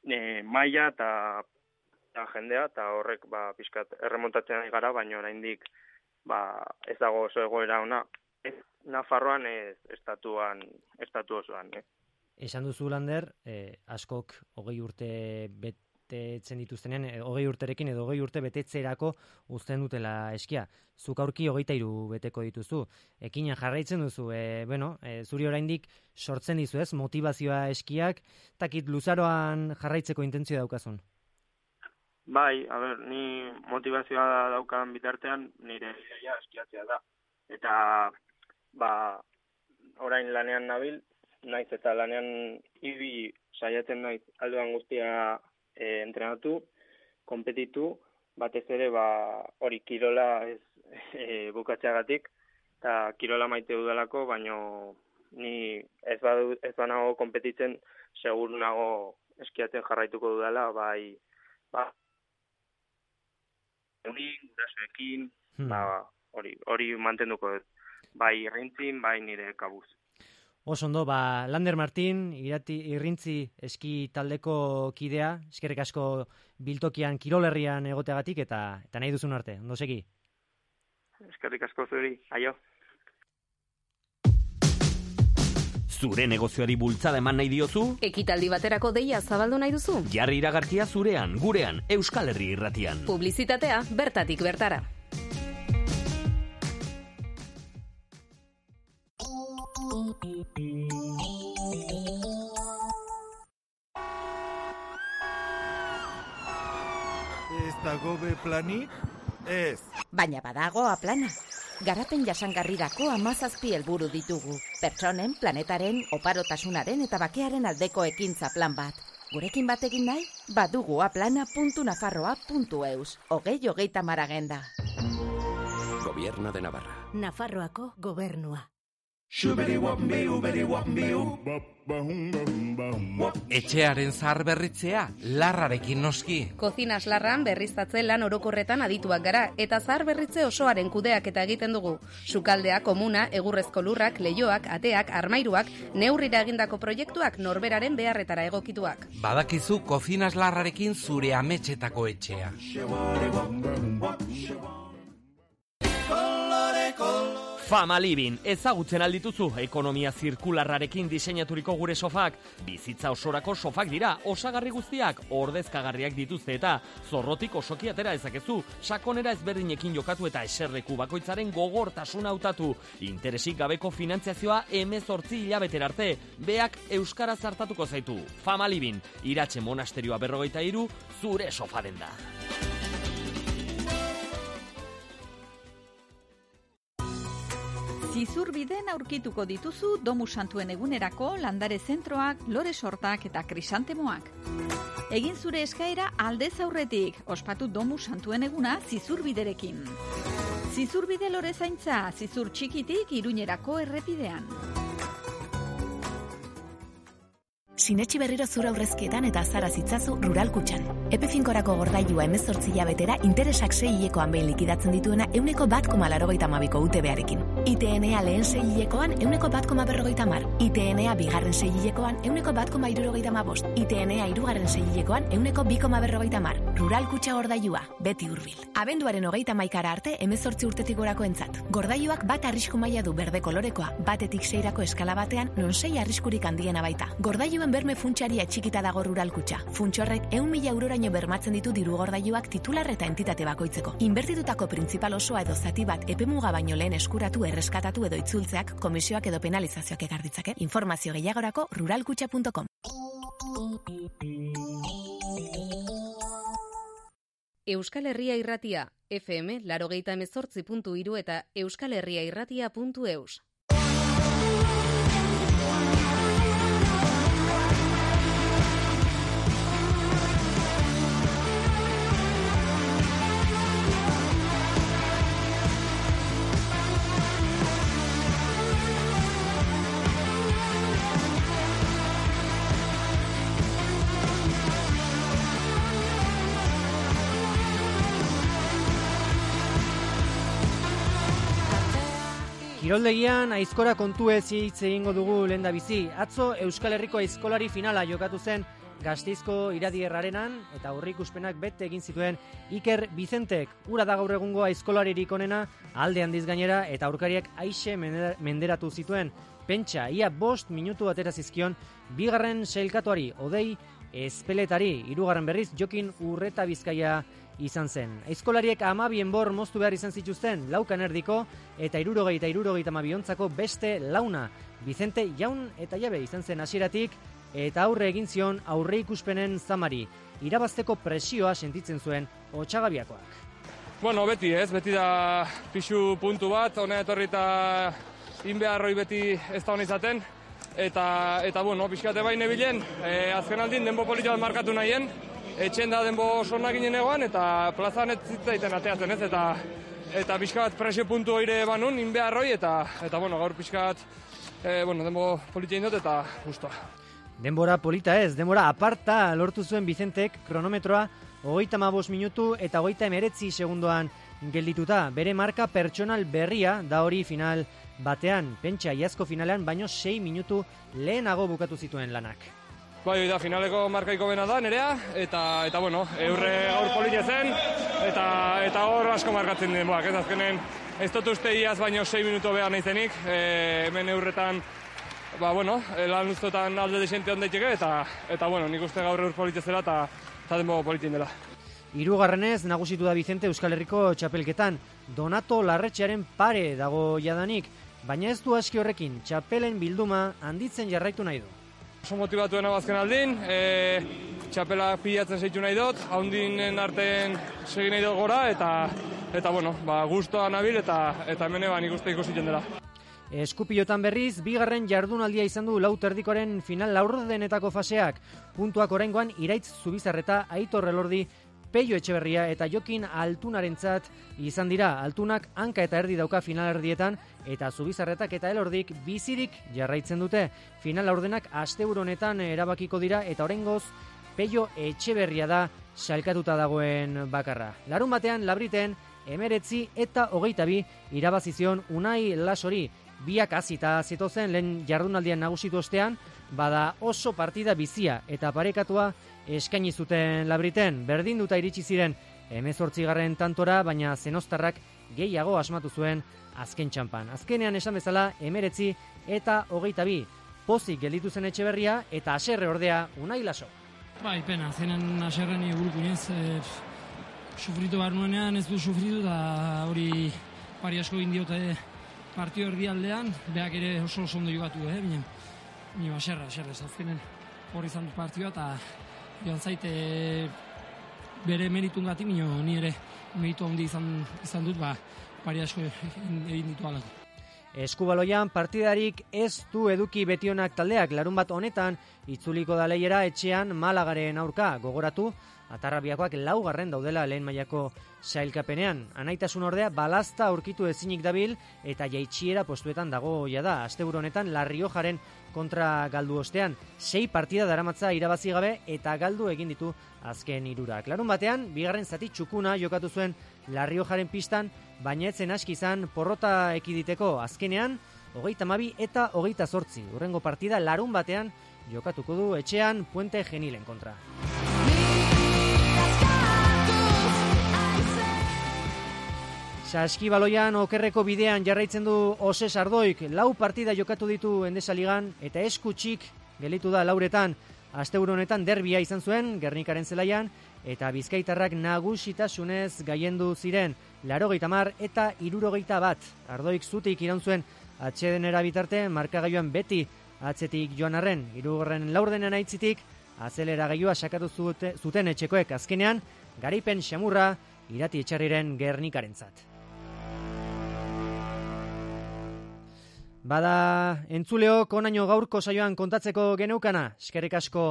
M: e, maila eta eta jendea, eta horrek ba, pixkat erremontatzen ari gara, baina oraindik ba, ez dago oso egoera ona. Ez Nafarroan ez estatuan, estatu osoan. Eh?
B: Esan duzu, Lander, eh, askok hogei urte betetzen dituztenean, eh, hogei urterekin edo hogei urte betetzerako uzten dutela eskia. Zuk aurki hogeita hiru beteko dituzu. Ekina jarraitzen duzu, eh, bueno, eh, zuri oraindik sortzen dizu ez, motivazioa eskiak, takit luzaroan jarraitzeko intentzioa daukazun.
M: Bai, a ber, ni motivazioa daukan bitartean nire ideia eskiatzea da. Eta, ba, orain lanean nabil, naiz eta lanean ibi saiatzen naiz alduan guztia e, entrenatu, konpetitu, batez ere, ba, hori kirola ez e, bukatzeagatik, eta kirola maite dudalako, baino ni ez, badu, ez banago konpetitzen, segur nago eskiatzen jarraituko dudala, bai, ba, hori, gurasoekin, hmm. ba, hori, hori mantenduko dut. Bai Irrintzin, bai nire kabuz.
B: Oso ondo, ba, Lander Martin, irati, Irrintzi eski taldeko kidea, eskerrik asko biltokian kirolerrian egoteagatik, eta, eta nahi duzun arte, ondo segi?
M: Eskerrik asko zuri, aio.
N: Zure negozioari bultzada eman nahi diozu?
C: Ekitaldi baterako deia zabaldu nahi duzu?
N: Jarri iragarkia zurean, gurean, Euskal Herria Irratian.
C: Publizitatea bertatik bertara.
O: Ez dago be planik? Ez.
P: Baina badago A plana. Garapen jasangarrirako hamazazpi helburu ditugu. Pertsonen, planetaren, oparotasunaren eta bakearen aldeko ekintza plan bat. Gurekin batekin nahi? Badugu aplana puntu nafarroa puntu eus. Hogei hogeita mar agenda.
Q: Gobierno de Navarra.
P: Nafarroako gobernua.
R: Etxearen zahar berritzea, larrarekin noski.
C: Kozinas larran berriztatze lan orokorretan adituak gara, eta zahar berritze osoaren kudeak eta egiten dugu. Sukaldea, komuna, egurrezko lurrak, leioak, ateak, armairuak, neurrira egindako proiektuak norberaren beharretara egokituak.
R: Badakizu kozinas larrarekin zure ametxetako etxea.
N: Fama Living, ezagutzen aldituzu, ekonomia zirkularrarekin diseinaturiko gure sofak. Bizitza osorako sofak dira, osagarri guztiak, ordezkagarriak dituzte eta zorrotik osoki atera ezakezu, sakonera ezberdinekin jokatu eta eserleku bakoitzaren gogortasuna hautatu. Interesik gabeko finantziazioa hemezortzi hilabetera arte, beak euskaraz hartatuko zaitu. Fama Living, Iratxe monasterioa berrogeita hiru, zure sofa denda.
S: Zizurbiden aurkituko dituzu Domu Santuen egunerako landare zentroak, lore sortak eta krisantemoak. Egin zure eskaera aldez aurretik, ospatu Domu Santuen eguna Zizurbiderekin. Zizurbide lore zaintza, Zizur txikitik Iruñerako errepidean.
T: Sinetxi berriro zura aurrezkietan eta azara zitzazu Rural Kutxan. Epe finkorako gordailua hemezortzi hilabetera interesak sei hilekoan behin likidatzen dituena euneko bat koma laurogeita hamabiko U T B-arekin. I T N-a lehen sei hilekoan euneko bat koma berrogeita hamar. I T N-a bigarren sei hilekoan euneko bat koma hirurogeita hamabost. I T N-a hirugarren sei hilekoan euneko bi koma berrogeita hamar. Rural Kutxa gordailua, beti hurbil. Abenduaren hogeita hamaikara arte hemezortzi urtetik gorako entzat. Gordailuak bat arrisku maila du berde kolorekoa, batetik seirako eskala batean non sei arriskurik handiena baita. Gordailuen berme funtsiari atxikita dago Rural Kutxa. Funts horrek ehun mila euroraino bermatzen ditu diru gordailuak titular eta entitate bakoitzeko. Inbertitutako printzipal osoa edo zati bat epemuga baino lehen eskuratu, erreskatatu edo itzultzeak komisioak edo penalizazioak ekar ditzake. Informazio gehiagorako ruralkutxa puntu com.
C: Euskal Herria Irratia, F M laurogeita hemezortzi puntu hiru eta euskal herria irratia puntu eus.
B: Kiroldegian aizkora kontu ez hitz egingo dugu lehendabizi. Atzo Euskal Herriko aizkolari finala jokatu zen Gasteizko Iradierrarenan eta aurreikuspenak bete egin zituen Iker Bizentek. Ura da gaur egungo aizkolaririk onena, alde handiz gainera eta aurkariak aixe menderatu zituen. Pentsa, ia bost minutu atera zizkion bigarren sailkatuari, Odei Ezpeletari, hirugarren berriz Jokin Urreta Bizkaia izan zen. Aizkolariek hamabi enbor moztu behar izan zituzten, laukan erdiko eta hirurogeita hirurogeita hamabi ontzako beste launa. Bizente jaun eta jabe izan zen hasieratik eta aurre egin zion aurre ikuspenen zamari. Irabazteko presioa sentitzen zuen Otsagabiakoak.
U: Bueno, beti ez, beti da pixu puntu bat, hona etorri eta inbeharroi beti ez da hona izaten. Eta, eta bueno, pixkate bain ebilen, e, azken aldin denbo polita bat markatu nahien, etxen da denbo oso ginen egoan, eta plazan ez zitzaiten ateatzen ez, eta eta pixka bat presio puntu oire banun, inbeharroi, eta, eta bueno, gaur pixka bat, e, bueno, denbo polita indot, eta justoa.
B: Denbora polita ez, denbora aparta lortu zuen Bizentek kronometroa hogeita hamabost minutu eta hogeita hemeretzi segundoan geldituta. Bere marka pertsonal berria da hori final batean. Pentsa iazko finalean baino sei minutu lehenago bukatu zituen lanak.
U: Bai, da finaleko markaiko bena da nerea, eta, eta bueno, eurre gaur polita zen, eta, eta hor asko markatzen denboak, ez azkenen ez dut uste iaz baino sei minutu behar nahi zenik, e, hemen eurretan ba, bueno, lan ustotan alde desente ondaiteke, eta, eta, bueno, nik uste gaur eur politezela, eta, eta denbo politin dela.
B: Hirugarrenez nagusitu da Vicente Euskal Herriko txapelketan. Donato Larretxearen pare dago jadanik, baina ez du aski horrekin, txapelen bilduma handitzen jarraitu nahi du.
U: Oso motibatuen abazken aldin, e, txapela pilatzen zeitu nahi dut, haundinen artean segin nahi dut gora, eta, eta bueno, ba, guztua nabil, eta, eta hemen eban ikuste ikusiten dela.
B: Eskupilotan berriz, bigarren jardunaldia izan du lau terdikoaren final laurdenetako faseak. Puntuak oraingoan Iraitz Zubizarreta, Aitor Elordi, Peio Etxeberria eta Jokin Altunarentzat izan dira. Altunak hanka eta erdi dauka final erdietan eta Zubizarretak eta Elordik bizirik jarraitzen dute. Final laurdenak asteburu honetan erabakiko dira eta oraingoz Peio Etxeberria da salkatuta dagoen bakarra. Larun batean Labriten emeretzi eta hogeita bi irabazizion Unai Lasori. Biak hasita zetozen lehen jardunaldian nagusitu ostean, bada oso partida bizia eta parekatua eskaini zuten Labriten. Berdinduta iritsi ziren hemezortzigarren tantora, baina zenostarrak gehiago asmatu zuen azken txanpan. Azkenean esan bezala emeretzi eta hogeita bi. Pozik gelditu zen Etxeberria eta haserre ordea Unai Laso.
D: Bai, pena, zenen haserren igulukunez, e, sufritu behar nuenean ez du sufritu, da hori pari asko indiote partio erdialdean, beak ere oso oso ondo jugatu, eh, bine, bine, haserra, haserra, azkenen hori izan du partioa, eta joan zaite bere meritun gati, bine, ni ere meritu handi izan, izan dut, ba, pari asko egin ditu alako.
B: Eskubaloian partidarik ez du eduki betionak taldeak. Larun bat honetan itzuliko da lehiera etxean Malagaren aurka. Gogoratu, Atarrabiakoak laugarren daudela lehen mailako sailkapenean. Anaitasun ordea balazta aurkitu ezinik dabil eta jaitsiera postuetan dago jada. Asteburu honetan La Riojaren kontra galdu ostean. Sei partida daramatza irabazi gabe eta galdu egin ditu azken hirurak. Larun batean, bigarren zati txukuna jokatu zuen La Riojaren pistan, baina etzen aski izan porrota ekiditeko. Azkenean, hogeita hamabi eta hogeita zortzi. Hurrengo partida larun batean jokatuko du etxean Puente Genilen kontra. Saskibaloian okerreko bidean jarraitzen du Oses Ardoik. Lau partida jokatu ditu Endesa Ligan eta eskutxik gelitu da lauretan. Asteburu honetan derbia izan zuen Gernikaren zelaian eta bizkaitarrak nagusitasunez gaiendu ziren laurogeita hamar eta hirurogeita bat. Ardoik zutik iraun zuen atsedenera bitarte markagailuan beti atzetik joan arren. Hirugarren laurdenean aitzitik azeleragailua sakatu zuten etxekoek. Azkenean garaipen xamurra Irati Etxarriren Gernikarentzat. Bada entzuleok onaino gaurko saioan kontatzeko geneukana, eskerrik asko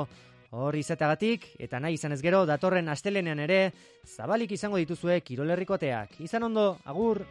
B: hor izateagatik, eta nahi izan ez gero datorren astelenean ere zabalik izango dituzue Kirol Herriko ateak. Izan ondo, agur!